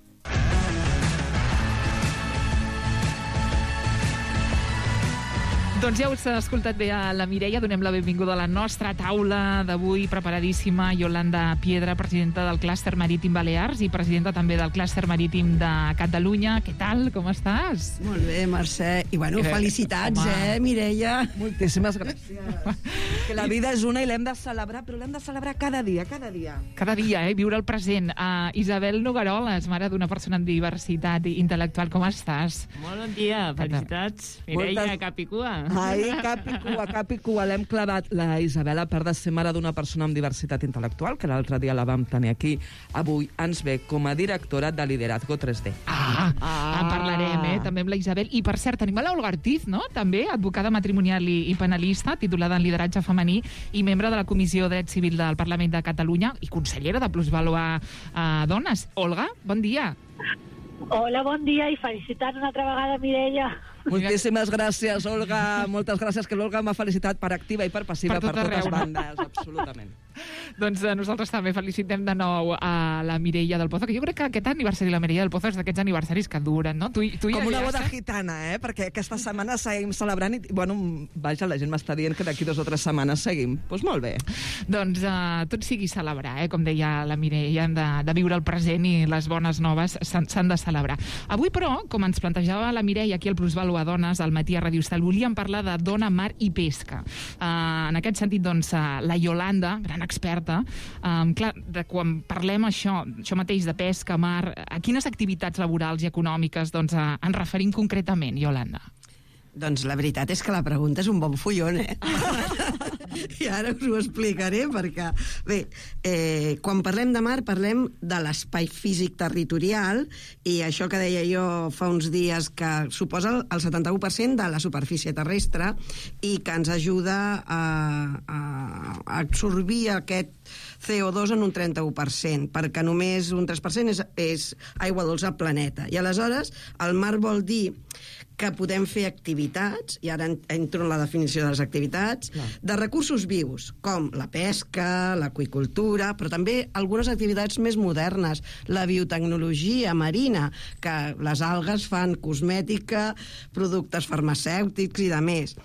Doncs ja us ha escoltat bé a la Mireia. Donem la benvinguda a la nostra taula d'avui, preparadíssima, Yolanda Piedra, presidenta del Clúster Marítim Balears i presidenta també del Clúster Marítim de Catalunya. Què tal? Com estàs? Molt bé, Mercè. I bueno, Eh, felicitats, home. eh, Mireia? Moltíssimes gràcies. Que la vida és una i l'hem de celebrar, però l'hem de celebrar cada dia, cada dia. Cada dia, eh? Viure el present. Uh, Isabel Nogaroles, mare d'una persona amb diversitat intel·lectual. Com estàs? Molt bon dia, felicitats. Mireia, Moltes- cap i cua. Ai, cap i cua, cap i cua, l'hem clavat. La Isabel, a part de ser mare d'una persona amb diversitat intel·lectual, que l'altre dia la vam tenir aquí, avui ens ve com a directora de Liderazgo tres D. Ah, ah. En parlarem, eh? També amb la Isabel. I, per cert, tenim a l'Olga Ortiz, no? També, advocada matrimonial i, i penalista, titulada en lideratge femení i membre de la Comissió de Dret Civil del Parlament de Catalunya i consellera de Plusvaluar eh, Dones. Olga, bon dia. Hola, bon dia i felicitats una altra vegada, Mireia. Moltíssimes gràcies, Olga. Moltes gràcies, que l'Olga m'ha felicitat per activa i per passiva, Per per, tot totes arreu, no? bandes, absolutament. Doncs eh, nosaltres també felicitem de nou a la Mireia del Pozo, que jo crec que aquest aniversari de la Mireia del Pozo és d'aquests aniversaris que duren, no? Tu, i- tu i Com una ja boda saps? gitana, eh? Perquè aquesta setmana seguim celebrant i, bueno, vaja, la gent m'està dient que d'aquí dues o tres setmanes seguim. Doncs pues molt bé. Doncs uh, tot sigui celebrar, eh? Com deia la Mireia, hem de, de viure el present i les bones noves s'han s'han de celebrar. Avui, però, com ens plantejava la Mireia aquí al Plusvaluadones, al matí a Ràdio Estel, volíem parlar de dona, mar i pesca. Uh, en aquest sentit, doncs, uh, la Yolanda, gran experta, um, clar, de quan parlem això, això mateix de pesca, mar, a quines activitats laborals i econòmiques doncs, uh, ens referim concretament, Yolanda? Doncs la veritat és que la pregunta és un bon fullon, eh? I ara us ho explicaré, perquè... Bé, eh, quan parlem de mar, parlem de l'espai físic territorial, i això que deia jo fa uns dies, que suposa el setanta-u per cent de la superfície terrestre i que ens ajuda a, a, a absorbir aquest C O dos en un trenta-u per cent, perquè només un tres per cent és, és aigua dolça al planeta. I aleshores, el mar vol dir que podem fer activitats, i ara entro en la definició de les activitats, Clar. de recursos vius, com la pesca, l'aqüicultura, però també algunes activitats més modernes, la biotecnologia marina, que les algues fan cosmètica, productes farmacèutics i de més.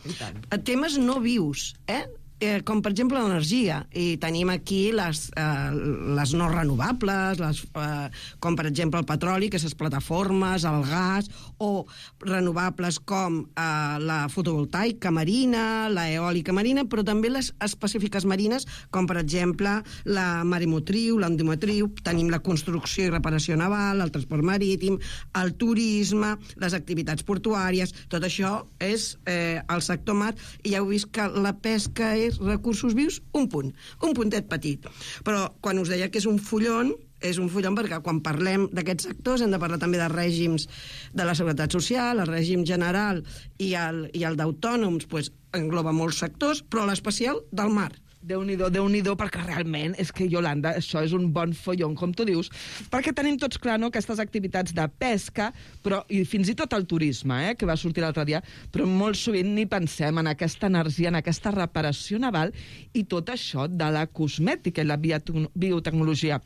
Temes no vius, eh? eh, com per exemple l'energia, i tenim aquí les, eh, les no renovables, les, eh, com per exemple el petroli, que és les plataformes, el gas, o renovables com eh, la fotovoltaica marina, la eòlica marina, però també les específiques marines, com per exemple la maremotriu, l'endometriu, tenim la construcció i reparació naval, el transport marítim, el turisme, les activitats portuàries, tot això és eh, el sector mar, i ja heu vist que la pesca és recursos vius, un punt, un puntet petit. Però quan us deia que és un fullon, és un fullon perquè quan parlem d'aquests sectors hem de parlar també de règims de la seguretat social, el règim general i el, i el d'autònoms, pues, engloba molts sectors, però l'especial del mar. Déu-n'hi-do, Déu-n'hi-do, perquè realment és que, Iolanda, això és un bon follon, com tu dius, perquè tenim tots clar, no?, aquestes activitats de pesca, però i fins i tot el turisme, eh?, que va sortir l'altre dia, però molt sovint ni pensem en aquesta energia, en aquesta reparació naval i tot això de la cosmètica i la biotecnologia.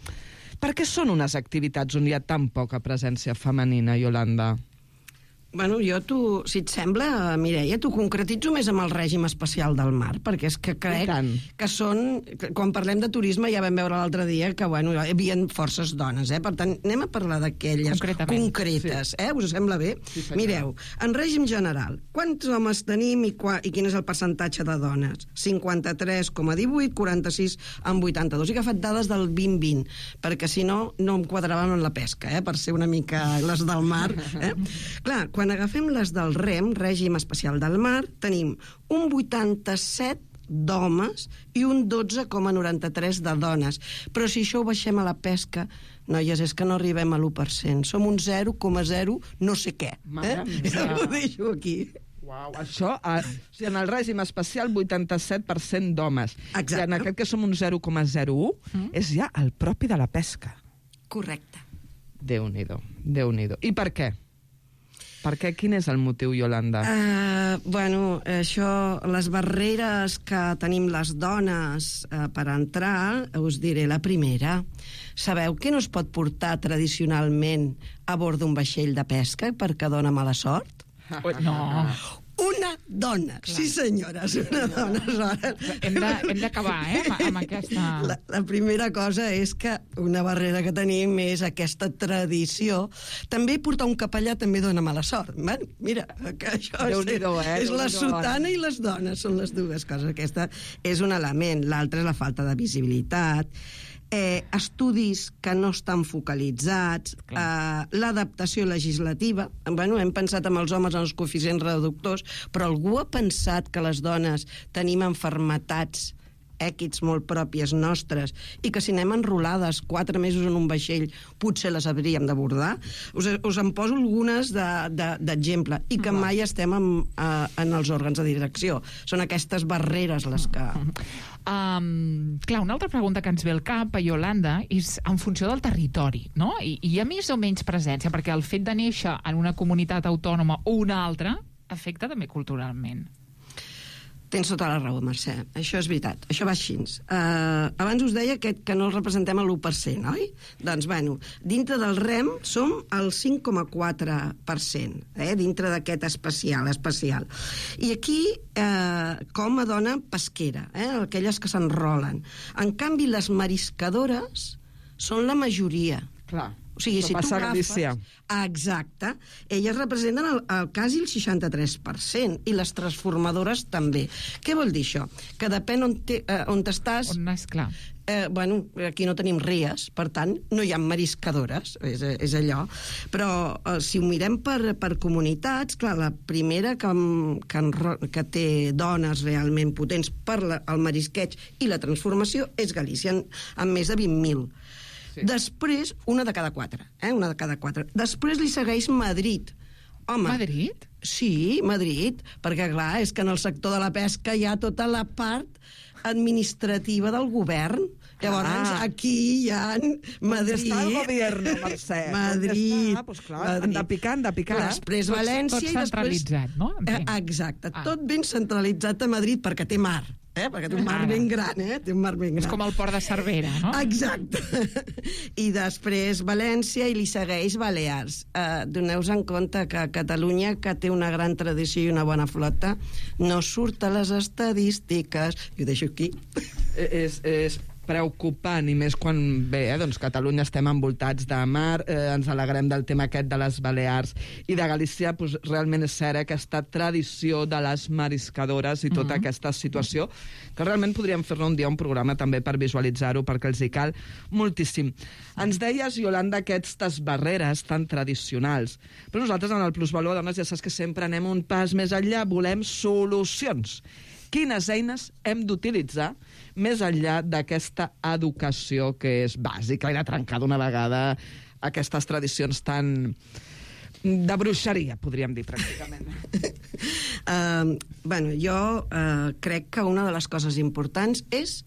Per què són unes activitats on hi ha tan poca presència femenina, Iolanda? Bueno, jo, tu, si et sembla, Mireia, t'ho concretitzo més amb el règim especial del mar, perquè és que crec que són... Quan parlem de turisme ja vam veure l'altre dia que, bueno, hi havia forces dones, eh? Per tant, anem a parlar d'aquelles concretes, eh? Us sembla bé? Sí, mireu, en règim general, quants homes tenim i, qua, i quin és el percentatge de dones? cinquanta-tres coma divuit, quaranta-sis amb vuitanta-dos. He agafat dades del vint vint, perquè si no, no em quadraven en la pesca, eh? Per ser una mica les del mar, eh? Clar, quan agafem les del REM, règim especial del mar, tenim un vuitanta-set d'homes i un dotze coma noranta-tres de dones. Però si això ho baixem a la pesca, noies, és que no arribem a l'u per cent. Som un zero coma zero no sé què. Eh? Ja ho deixo aquí. Uau, això, a, o sigui, en el règim especial, vuitanta-set per cent d'homes. Exacte. I en aquest que som un zero coma zero u, mm. és ja el propi de la pesca. Correcte. Déu-n'hi-do, Déu-n'hi-do. I per què? Per què? Quin és el motiu, Iolanda? Uh, bueno, això, les barreres que tenim les dones uh, per entrar, us diré la primera. Sabeu què no es pot portar tradicionalment a bord d'un vaixell de pesca perquè dona mala sort? No. Una dona, clar. Sí senyores, una dona. Hem de, hem d'acabar, eh, amb aquesta... La, la primera cosa és que una barrera que tenim és aquesta tradició. També portar un capellà també dona mala sort. Bueno, mira, que això és, eh? és la sotana i les dones, són les dues coses. Aquesta és un element, l'altre és la falta de visibilitat. Eh, estudis que no estan focalitzats, eh, l'adaptació legislativa. Bueno, hem pensat amb els homes en els coeficients reductors, però algú ha pensat que les dones tenim enfermetats èquits molt pròpies nostres i que si anem enrolades quatre mesos en un vaixell potser les hauríem d'abordar? Us, us en poso algunes d'exemple de, de, i que mai estem en, uh, en els òrgans de direcció. Són aquestes barreres les que... Um, clar, una altra pregunta que ens ve al cap a Iolanda és en funció del territori, no? I, i hi ha més o menys presència, perquè el fet de néixer en una comunitat autònoma o una altra afecta també culturalment. Tens tota la raó, Mercè. Això és veritat. Això va així. Uh, abans us deia que, que no representem l'u per cent, oi? Doncs, bueno, dintre del REM som el cinc coma quatre per cent, eh? Dintre d'aquest especial, especial. I aquí, eh, com a dona pesquera, eh? Aquelles que s'enrolen. En canvi, les mariscadores són la majoria. Clar. O sigui, si tu agafes... Exacte. Elles representen el, el quasi el seixanta-tres per cent i les transformadores també. Què vol dir això? Que depèn on, te, eh, on t'estàs... On és clar. Eh, bueno, aquí no tenim ries, per tant, no hi ha mariscadores, és, és allò. Però eh, si ho mirem per, per comunitats, clar, la primera que, que, que té dones realment potents per la, el marisqueig i la transformació és Galícia, amb, amb més de vint mil. Sí. Després, una de cada quatre, eh? Una de cada quatre. Després li segueix Madrid. Home, Madrid? Sí, Madrid, perquè clar, és que en el sector de la pesca hi ha tota la part administrativa del govern. Llavors, ah. aquí hi ha Madrid... Està el govern, Mercè. Madrid. Està? Pues clar, Madrid. Han de picar, han de picar. Després tot, València tot i després... centralitzat, no? Eh, exacte, ah. tot ben centralitzat a Madrid perquè té mar. eh? Perquè té un mar ben gran, eh? Té un mar ben gran. És com el port de Cervera, no? Exacte. I després València i li segueix Balears. Uh, Doneu-vos en compte que Catalunya, que té una gran tradició i una bona flota, no surt a les estadístiques. I ho deixo aquí. És... és... preocupant, i més quan bé, eh, doncs Catalunya estem envoltats de mar, eh, ens alegrem del tema aquest de les Balears i de Galícia, doncs, realment és cert, eh, aquesta tradició de les mariscadores i tota mm-hmm. aquesta situació, que realment podríem fer-ne un dia un programa també per visualitzar-ho, perquè els hi cal moltíssim. Ens deies, Iolanda, aquestes barreres tan tradicionals, però nosaltres en el Plusvalor Dones ja saps que sempre anem un pas més enllà, volem solucions. Quines eines hem d'utilitzar més enllà d'aquesta educació que és bàsica i de trencar d'una vegada aquestes tradicions tan de bruixeria, podríem dir, pràcticament. uh, bueno, jo uh, crec que una de les coses importants és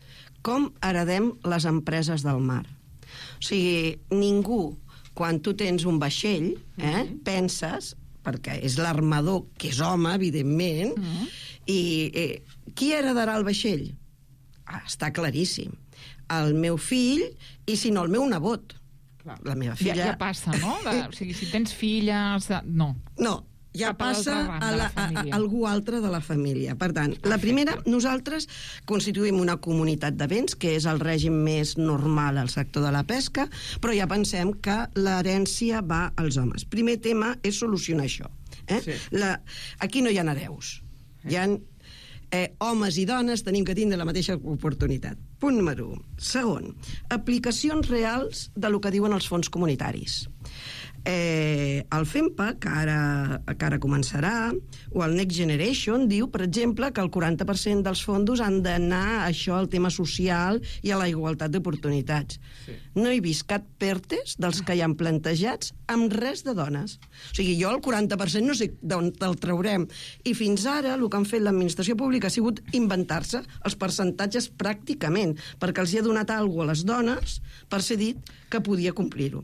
com heredem les empreses del mar. O sigui, ningú, quan tu tens un vaixell, eh, mm-hmm. penses, perquè és l'armador, que és home, evidentment, mm-hmm. i eh, qui heredarà el vaixell? Ah, està claríssim. El meu fill, i si no, el meu nebot. Clar. La meva filla... Ja, ja passa, no? De, o sigui, si tens filles... No. No, ja Cap passa a, la, a, a algú altre de la família. Per tant, Perfecte. La primera, nosaltres constituïm una comunitat de béns, que és el règim més normal al sector de la pesca, però ja pensem que l'herència va als homes. Primer tema és solucionar això. Eh? Sí. La, aquí no hi ha hereus. Hi ha eh, homes i dones, tenim que tindre la mateixa oportunitat. Punt número un. Segon, aplicacions reals de lo que diuen els fons comunitaris. Eh, el FEMPA, que ara, que ara començarà, o el Next Generation, diu, per exemple, que el quaranta per cent dels fons han d'anar a això, al tema social i a la igualtat d'oportunitats. Sí. No he vist cap PERTES dels que hi han plantejats amb res de dones. O sigui, jo el quaranta per cent no sé d'on te'l traurem. I fins ara el que han fet l'administració pública ha sigut inventar-se els percentatges pràcticament, perquè els hi ha donat alguna cosa a les dones per ser dit que podia complir-ho.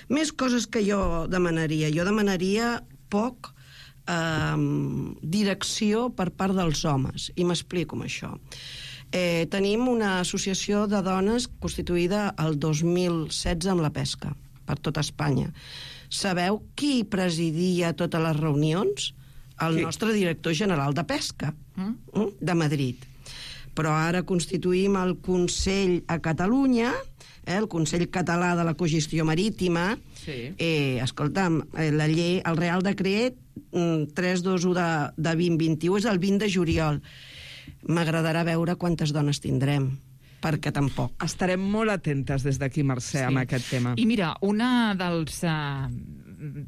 Més coses que jo demanaria. Jo demanaria poc eh, direcció per part dels homes, i m'explico amb això. Eh, tenim una associació de dones constituïda el dos mil setze amb la pesca, per tot Espanya. Sabeu qui presidia totes les reunions? El sí. nostre director general de pesca, mm? de Madrid. Però ara constituïm el Consell a Catalunya, eh, el Consell Català de la Cogestió Marítima. Sí. Eh, escolta'm, la llei, el Real Decret tres cents vint u de, de vint vint-i-u és el vint de juliol. M'agradarà veure quantes dones tindrem, perquè tampoc. Estarem molt atentes des d'aquí, Mercè, sí. amb aquest tema. I mira, una dels, uh,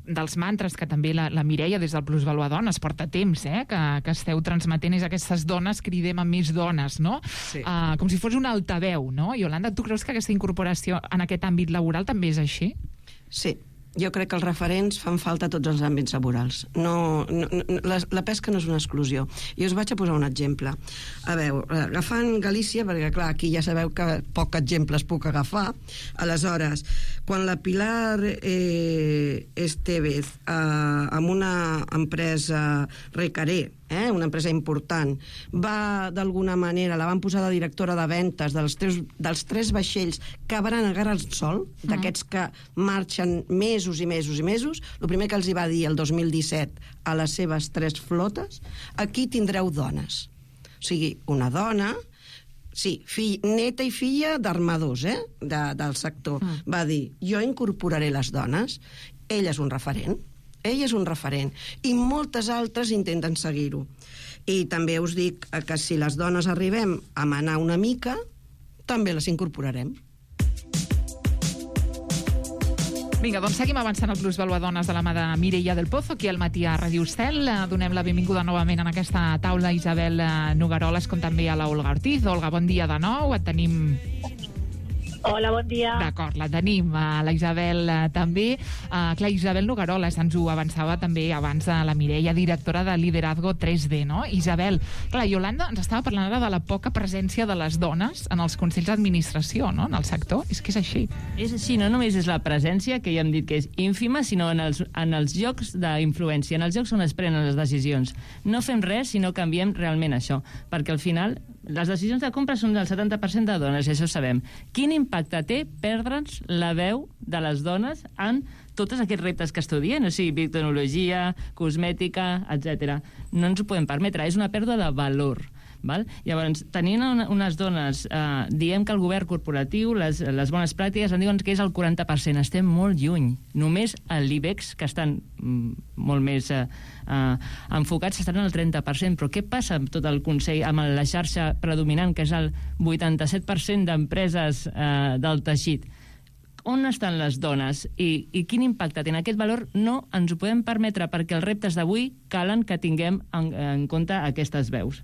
dels mantres que també la, la Mireia des del Plusvalor Dones porta temps, eh, que, que esteu transmetent, és aquestes dones cridem a més dones, no? Sí. Uh, com si fos un altaveu, no? Iolanda, tu creus que aquesta incorporació en aquest àmbit laboral també és així? Sí. Jo crec que els referents fan falta a tots els àmbits laborals. No, no, la, la pesca no és una exclusió. I us vaig a posar un exemple. A veure, agafant Galícia, perquè clar, aquí ja sabeu que poc exemples puc agafar. Aleshores, quan la Pilar eh, Estevez eh, amb una empresa Recaré, eh, una empresa important, va d'alguna manera, la van posar de directora de ventes dels tres, dels tres vaixells que van agarrar el sol, mm. d'aquests que marxen mesos i mesos i mesos, el primer que els hi va dir el dos mil disset a les seves tres flotes, aquí tindreu dones. O sigui, una dona, sí, fill, neta i filla d'armadors, eh, de, del sector, mm. va dir, jo incorporaré les dones, ell és un referent, ell és un referent, i moltes altres intenten seguir-ho. I també us dic que si les dones arribem a manar una mica, també les incorporarem. Vinga, doncs seguim avançant el Plusvalor Dones de la mà de Mireia del Pozo, aquí al matí a Ràdio Estel. Donem la benvinguda novament en aquesta taula a Isabel Nogaroles, com també a la Olga Ortiz. Olga, bon dia de nou, et tenim... Hola, bon dia. D'acord, la tenim, uh, la Isabel uh, també. Uh, clar, Isabel Nogaroles ens ho avançava també abans de la Mireia, directora de Liderazgo tres D, no? Isabel, clar, Iolanda ens estava parlant ara de la poca presència de les dones en els consells d'administració, no?, en el sector. És que és així. És així, no només és la presència, que ja hem dit que és ínfima, sinó en els, en els llocs d'influència, en els llocs on es prenen les decisions. No fem res si no canviem realment això, perquè al final les decisions de compra són del setanta per cent de dones, i això sabem. Quin impacte té perdre'ns la veu de les dones en tots aquests reptes que estudien, o sigui, tecnologia, cosmètica, etcètera. No ens ho podem permetre, és una pèrdua de valor. Val? Llavors, tenint una, unes dones, eh, diem que el govern corporatiu, les, les bones pràctiques, en diuen que és el quaranta per cent. Estem molt lluny. Només a l'I B E X, que estan mm, molt més eh, eh, enfocats, estan al trenta per cent. Però què passa amb tot el Consell, amb la xarxa predominant, que és el vuitanta-set per cent d'empreses eh, del teixit? On estan les dones i, i quin impacte tenen? Aquest valor no ens ho podem permetre, perquè els reptes d'avui calen que tinguem en, en compte aquestes veus.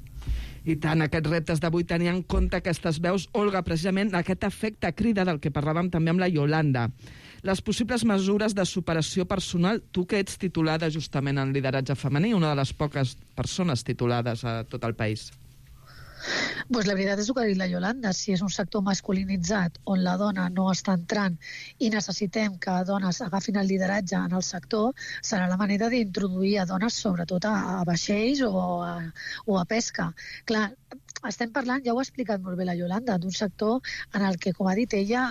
I tant, aquests reptes d'avui tenir en compte aquestes veus, Olga, precisament aquest efecte crida del que parlàvem també amb la Yolanda. Les possibles mesures de superació personal, tu que ets titulada justament en lideratge femení, una de les poques persones titulades a tot el país. Pues la veritat és el que ha dit la Yolanda. Si és un sector masculinitzat on la dona no està entrant i necessitem que dones agafin el lideratge en el sector, serà la manera d'introduir a dones sobretot a, a vaixells o a, o a pesca. Clar, estem parlant, ja ho ha explicat molt bé la Yolanda, d'un sector en el que, com ha dit ella,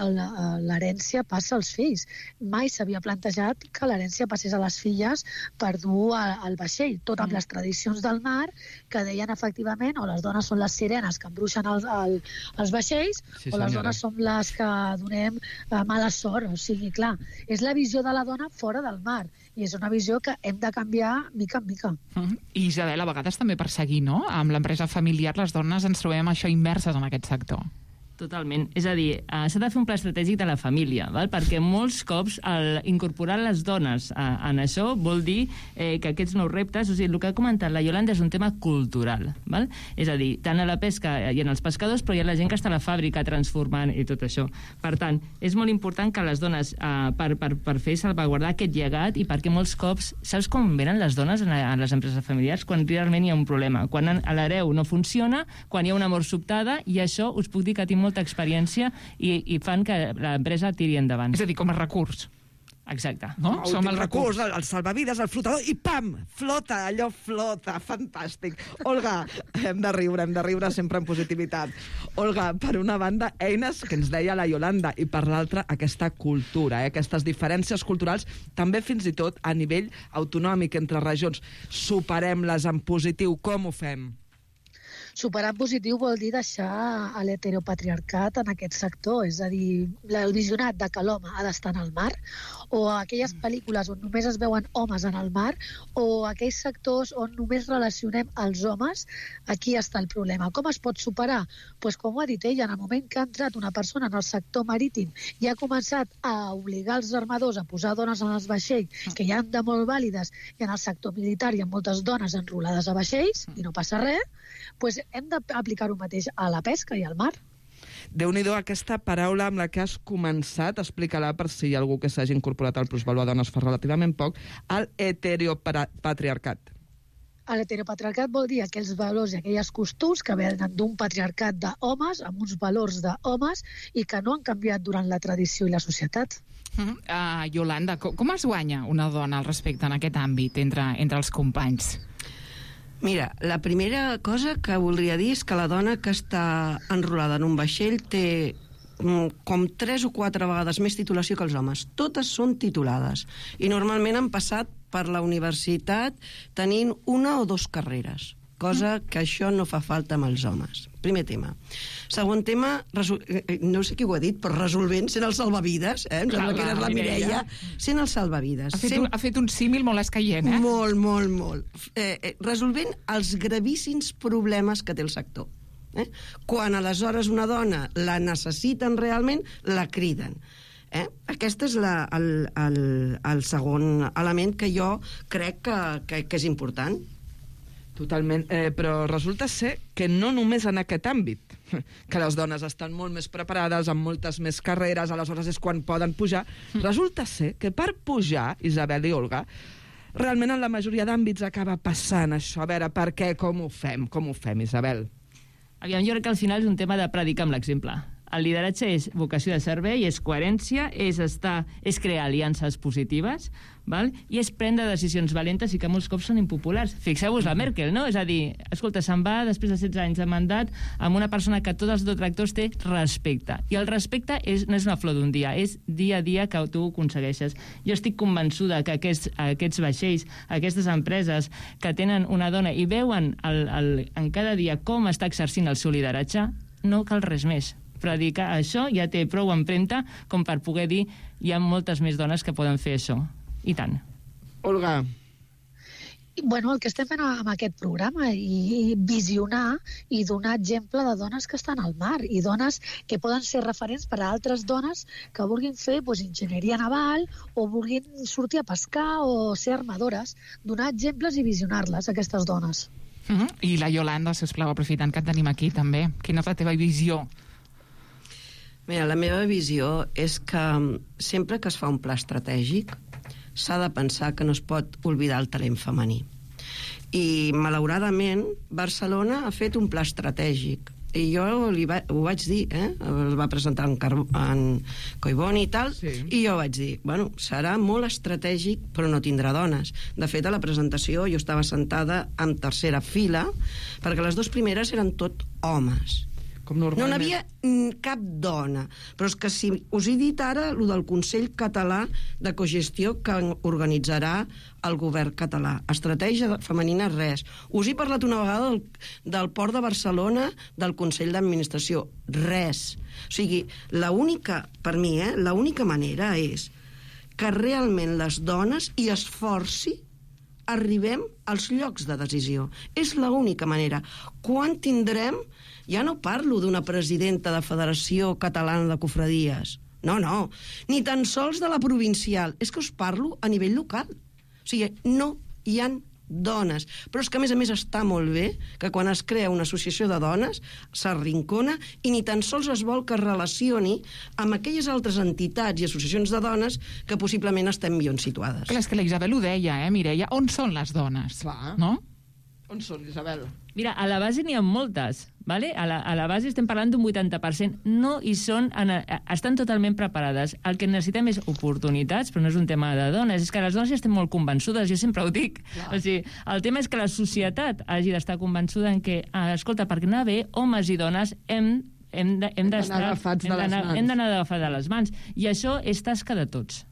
l'herència passa als fills. Mai s'havia plantejat que l'herència passés a les filles per dur al vaixell, tot amb les tradicions del mar, que deien efectivament o les dones són les sirenes que embruixen els, el, els vaixells, sí, o les dones som les que donem eh, mala sort. O sigui, clar, és la visió de la dona fora del mar, i és una visió que hem de canviar mica en mica. Mm-hmm. I Isabel, a vegades també per seguir, no? Amb l'empresa familiar, les dones ens trobem això immerses en aquest sector. Totalment. És a dir, uh, s'ha de fer un pla estratègic de la família, val? Perquè molts cops el incorporar les dones uh, en això vol dir eh, que aquests nous reptes, o sigui, el que ha comentat la Yolanda és un tema cultural, val? És a dir, tant a la pesca i en els pescadors, però hi ha la gent que està a la fàbrica transformant i tot això. Per tant, és molt important que les dones, uh, per, per, per fer salvaguardar aquest llegat, i perquè molts cops, saps com venen les dones en, a, en les empreses familiars? Quan realment hi ha un problema. Quan a l'hereu no funciona, quan hi ha una mort sobtada, i això us puc dir que tinc molta experiència i, i fan que l'empresa tiri endavant. És a dir, com a recurs. Exacte. No? El Som el recurs, el, el salvavides, el flotador, i pam! Flota, allò flota, fantàstic. Olga, hem de riure, hem de riure sempre en positivitat. Olga, per una banda, eines que ens deia la Yolanda, i per l'altra, aquesta cultura, eh? Aquestes diferències culturals, també fins i tot a nivell autonòmic entre regions. Superem-les en positiu, com ho fem? Superar en positiu vol dir deixar l'heteropatriarcat en aquest sector, és a dir, el visionat de que l'home ha d'estar en el mar, o aquelles pel·lícules on només es veuen homes en el mar, o aquells sectors on només relacionem els homes. Aquí està el problema. Com es pot superar? Pues, com ho ha dit ella, en el moment que ha entrat una persona en el sector marítim i ha començat a obligar els armadors a posar dones en els vaixells, que hi ha de molt vàlides, i en el sector militar hi ha moltes dones enrolades a vaixells, i no passa res, pues hem d'aplicar-ho mateix a la pesca i al mar. Déu-n'hi-do aquesta paraula amb la que has començat, explica-la per si hi ha algú que s'hagi incorporat al plusvalor de dones fa relativament poc, el heteropatriarcat. L'heteropatriarcat vol dir aquells valors i aquelles costums que venen d'un patriarcat d'homes amb uns valors d'homes i que no han canviat durant la tradició i la societat. Uh, uh, Yolanda, com, com es guanya una dona al respecte en aquest àmbit entre, entre els companys? Mira, la primera cosa que voldria dir és que la dona que està enrolada en un vaixell té com tres o quatre vegades més titulació que els homes. Totes són titulades. I normalment han passat per la universitat tenint una o dues carreres, cosa que això no fa falta amb els homes. Primer tema. Segon tema, no sé qui ho ha dit, però resolvent, sent el salvavides, eh? Em sembla que era la Mireia, sent el salvavides. Ha fet, un, ha fet un símil molt escaient, eh? Molt, molt, molt. Eh, eh, resolvent els gravíssims problemes que té el sector. Eh? Quan aleshores una dona la necessiten realment, la criden. Eh? Aquest és la, el, el, el segon element que jo crec que, que, que és important. Totalment, eh, però resulta ser que no només en aquest àmbit, que les dones estan molt més preparades, amb moltes més carreres, aleshores és quan poden pujar. Resulta ser que per pujar, Isabel i Olga, realment en la majoria d'àmbits acaba passant això. A veure, per què, com ho fem? Com ho fem, Isabel? Aviam, jo crec que al final és un tema de predicar amb l'exemple. El lideratge és vocació de servei, és coherència, és, estar, és crear aliances positives, val? I és prendre decisions valentes i que molts cops són impopulars. Fixeu-vos la Merkel, no? És a dir, escolta, se'n va després de setze anys de mandat amb una persona que tots els detractors té respecte. I el respecte és, no és una flor d'un dia, és dia a dia que tu ho aconsegueixes. Jo estic convençuda que aquests, aquests vaixells, aquestes empreses que tenen una dona i veuen el, el, en cada dia com està exercint el seu lideratge, no cal res més. Predicar això ja té prou empremta com per poder dir hi ha moltes més dones que poden fer això. I tant. Olga. Bueno, el que estem fent amb aquest programa i visionar i donar exemple de dones que estan al mar i dones que poden ser referents per a altres dones que vulguin fer pues, enginyeria naval o vulguin sortir a pescar o ser armadores. Donar exemples i visionar-les, aquestes dones. Uh-huh. I la Iolanda, sisplau, aprofitant que et tenim aquí també. Quina és la teva visió? Mira, la meva visió és que sempre que es fa un pla estratègic s'ha de pensar que no es pot oblidar el talent femení. I, malauradament, Barcelona ha fet un pla estratègic. I jo li va, ho vaig dir, eh? El va presentar en, Car en Collboni i tal, sí. I jo vaig dir, bueno, serà molt estratègic, però no tindrà dones. De fet, a la presentació jo estava sentada en tercera fila, perquè les dues primeres eren tot homes. Com normalment. No n'hi havia cap dona. Però és que si us he dit ara el del Consell Català de Cogestió que organitzarà el govern català. Estratègia femenina, res. Us he parlat una vegada del, del Port de Barcelona, del Consell d'Administració. Res. O sigui, l'única, per mi, eh, l'única manera és que realment les dones hi esforci arribem als llocs de decisió. És l'única manera. Quan tindrem... Ja no parlo d'una presidenta de Federació Catalana de Cofradies. No, no. Ni tan sols de la provincial. És que us parlo a nivell local. O sigui, no hi ha dones. Però és que, a més a més, està molt bé que quan es crea una associació de dones s'arrincona i ni tan sols es vol que es relacioni amb aquelles altres entitats i associacions de dones que possiblement estem millor situades. Clar, és que la Isabel ho deia, eh, Mireia? On són les dones? Clar. No? On són, Isabel? Mira, a la base n'hi ha moltes, ¿vale? A la, a la base estem parlant d'un vuitanta per cent. No hi són, en, estan totalment preparades. El que necessitem és oportunitats, però no és un tema de dones. És que les dones ja estem molt convençudes, jo sempre ho dic. O sigui, el tema és que la societat hagi d'estar convençuda en que, ah, escolta, perquè anar bé, homes i dones hem hem d'anar agafats de les mans. Hem d'anar agafats de les mans. I això és tasca de tots.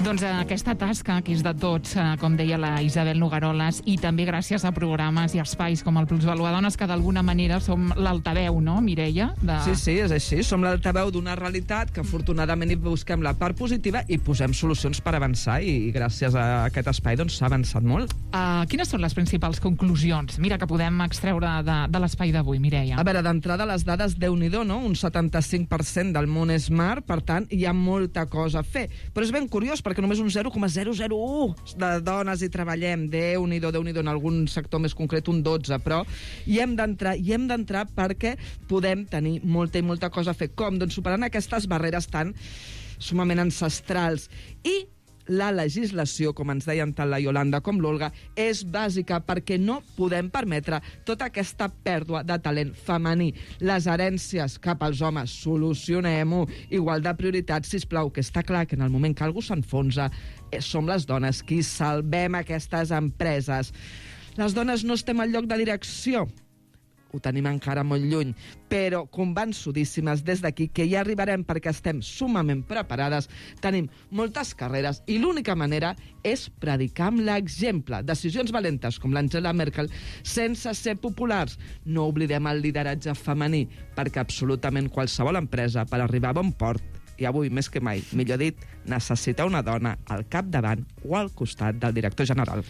Doncs aquesta tasca, que és de tots, com deia la Isabel Nogaroles, i també gràcies a programes i espais com el Plusvalua Dones, que d'alguna manera som l'altaveu, no, Mireia? De... Sí, sí, és així. Som l'altaveu d'una realitat que afortunadament hi busquem la part positiva i posem solucions per avançar, i, i gràcies a aquest espai doncs s'ha avançat molt. Uh, quines són les principals conclusions, mira, que podem extreure de, de l'espai d'avui, Mireia? A veure, d'entrada les dades, Déu-n'hi-do, no? Un setanta-cinc per cent del món és mar, per tant, hi ha molta cosa a fer. Però és ben curiós, perquè només un zero coma zero zero u de dones hi treballem. Déu-n'hi-do, Déu-n'hi-do, en algun sector més concret un dotze, però hi hem d'entrar, hi hem d'entrar perquè podem tenir molta i molta cosa a fer. Com? Doncs superant aquestes barreres tan sumament ancestrals. I la legislació, com ens deien tant la Iolanda com l'Olga, és bàsica perquè no podem permetre tota aquesta pèrdua de talent femení. Les herències cap als homes, solucionem-ho. Igual de prioritats, sisplau, que està clar que en el moment que algú s'enfonsa som les dones qui salvem aquestes empreses. Les dones no estem al lloc de direcció, ho tenim encara molt lluny, però convençudíssimes des d'aquí que hi arribarem perquè estem sumament preparades, tenim moltes carreres i l'única manera és predicar amb l'exemple. Decisions valentes com l'Angela Merkel sense ser populars. No oblidem el lideratge femení, perquè absolutament qualsevol empresa per arribar a bon port, i avui més que mai, millor dit, necessita una dona al capdavant o al costat del director general.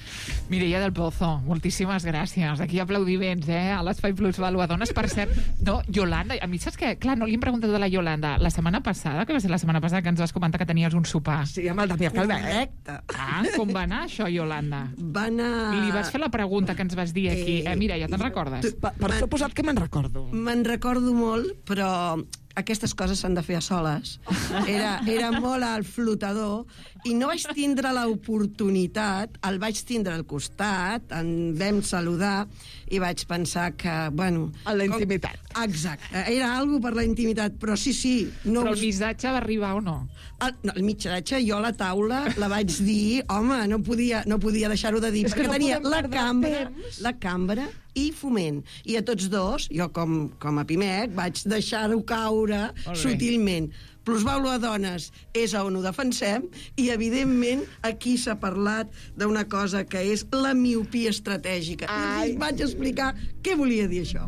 Mireia del Pozo, moltíssimes gràcies. Aquí aplaudiments, eh, a l'Espai Plusvalua Dones. Per cert, no, Yolanda, a mi saps què? Clar, no li hem preguntat de la Yolanda. La setmana passada, que va ser la setmana passada que ens vas comentar que tenies un sopar. Sí, amb el Damià Calvet. Ah, com va anar això, Yolanda? Va anar... Li vas fer la pregunta que ens vas dir aquí. Eh, Mireia, te'n recordes? Per, per suposat que me'n recordo. Me'n recordo molt, però aquestes coses s'han de fer a soles. Era, era molt al flotador i no vaig tindre l'oportunitat, el vaig tindre al costat, en vam saludar i vaig pensar que, bueno... A la intimitat. Com... Exacte, era algo per la intimitat, però sí, sí... No però el missatge va arribar o no? El, no, el missatge, jo a la taula la vaig dir, home, no podia, no podia deixar-ho de dir, és perquè no tenia la cambra, temps. la cambra i Foment. I a tots dos, jo com, com a Pimec, vaig deixar-ho caure sutilment. Plusvàlua Dones és on ho defensem i, evidentment, aquí s'ha parlat d'una cosa que és la miopia estratègica. Ai. I vaig explicar què volia dir això.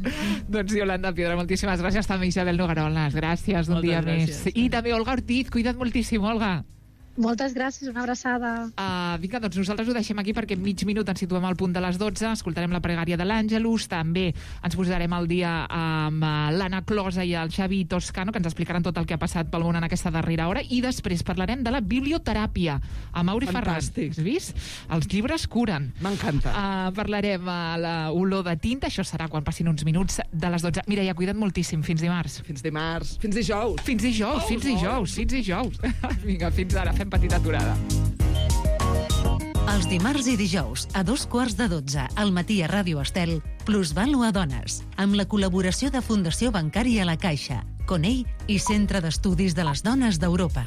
Doncs Yolanda Piedra, moltíssimes gràcies. També Isabel Nogaroles, gràcies un Moltes dia gràcies. més. I també Olga Ortiz, cuida't moltíssim, Olga. Moltes gràcies, una abraçada. Uh, vinga, doncs nosaltres ho deixem aquí perquè en mig minut ens situem al punt de les dotze, escoltarem la pregària de l'Àngelus, també ens posarem al dia amb uh, l'Anna Closa i el Xavi Toscano, que ens explicaran tot el que ha passat pel món en aquesta darrera hora, i després parlarem de la biblioteràpia amb Mauri Ferran. Fantàstic. Has vist? Els llibres curen. M'encanta. Uh, parlarem a uh, l'olor de tinta, això serà quan passin uns minuts de les dotze. Mireia, cuida't moltíssim, fins dimarts. Fins dimarts, fins dijous. Fins dijous, Oh, fins oh. dijous, fins dijous. Vinga, fins ara, fem petita aturada. Els dimarts i dijous, a dos quarts de dotze, al matí a Ràdio Estel, Plusvàlua Dones, amb la col·laboració de Fundació Bancària La Caixa, Conell i Centre d'Estudis de les Dones d'Europa.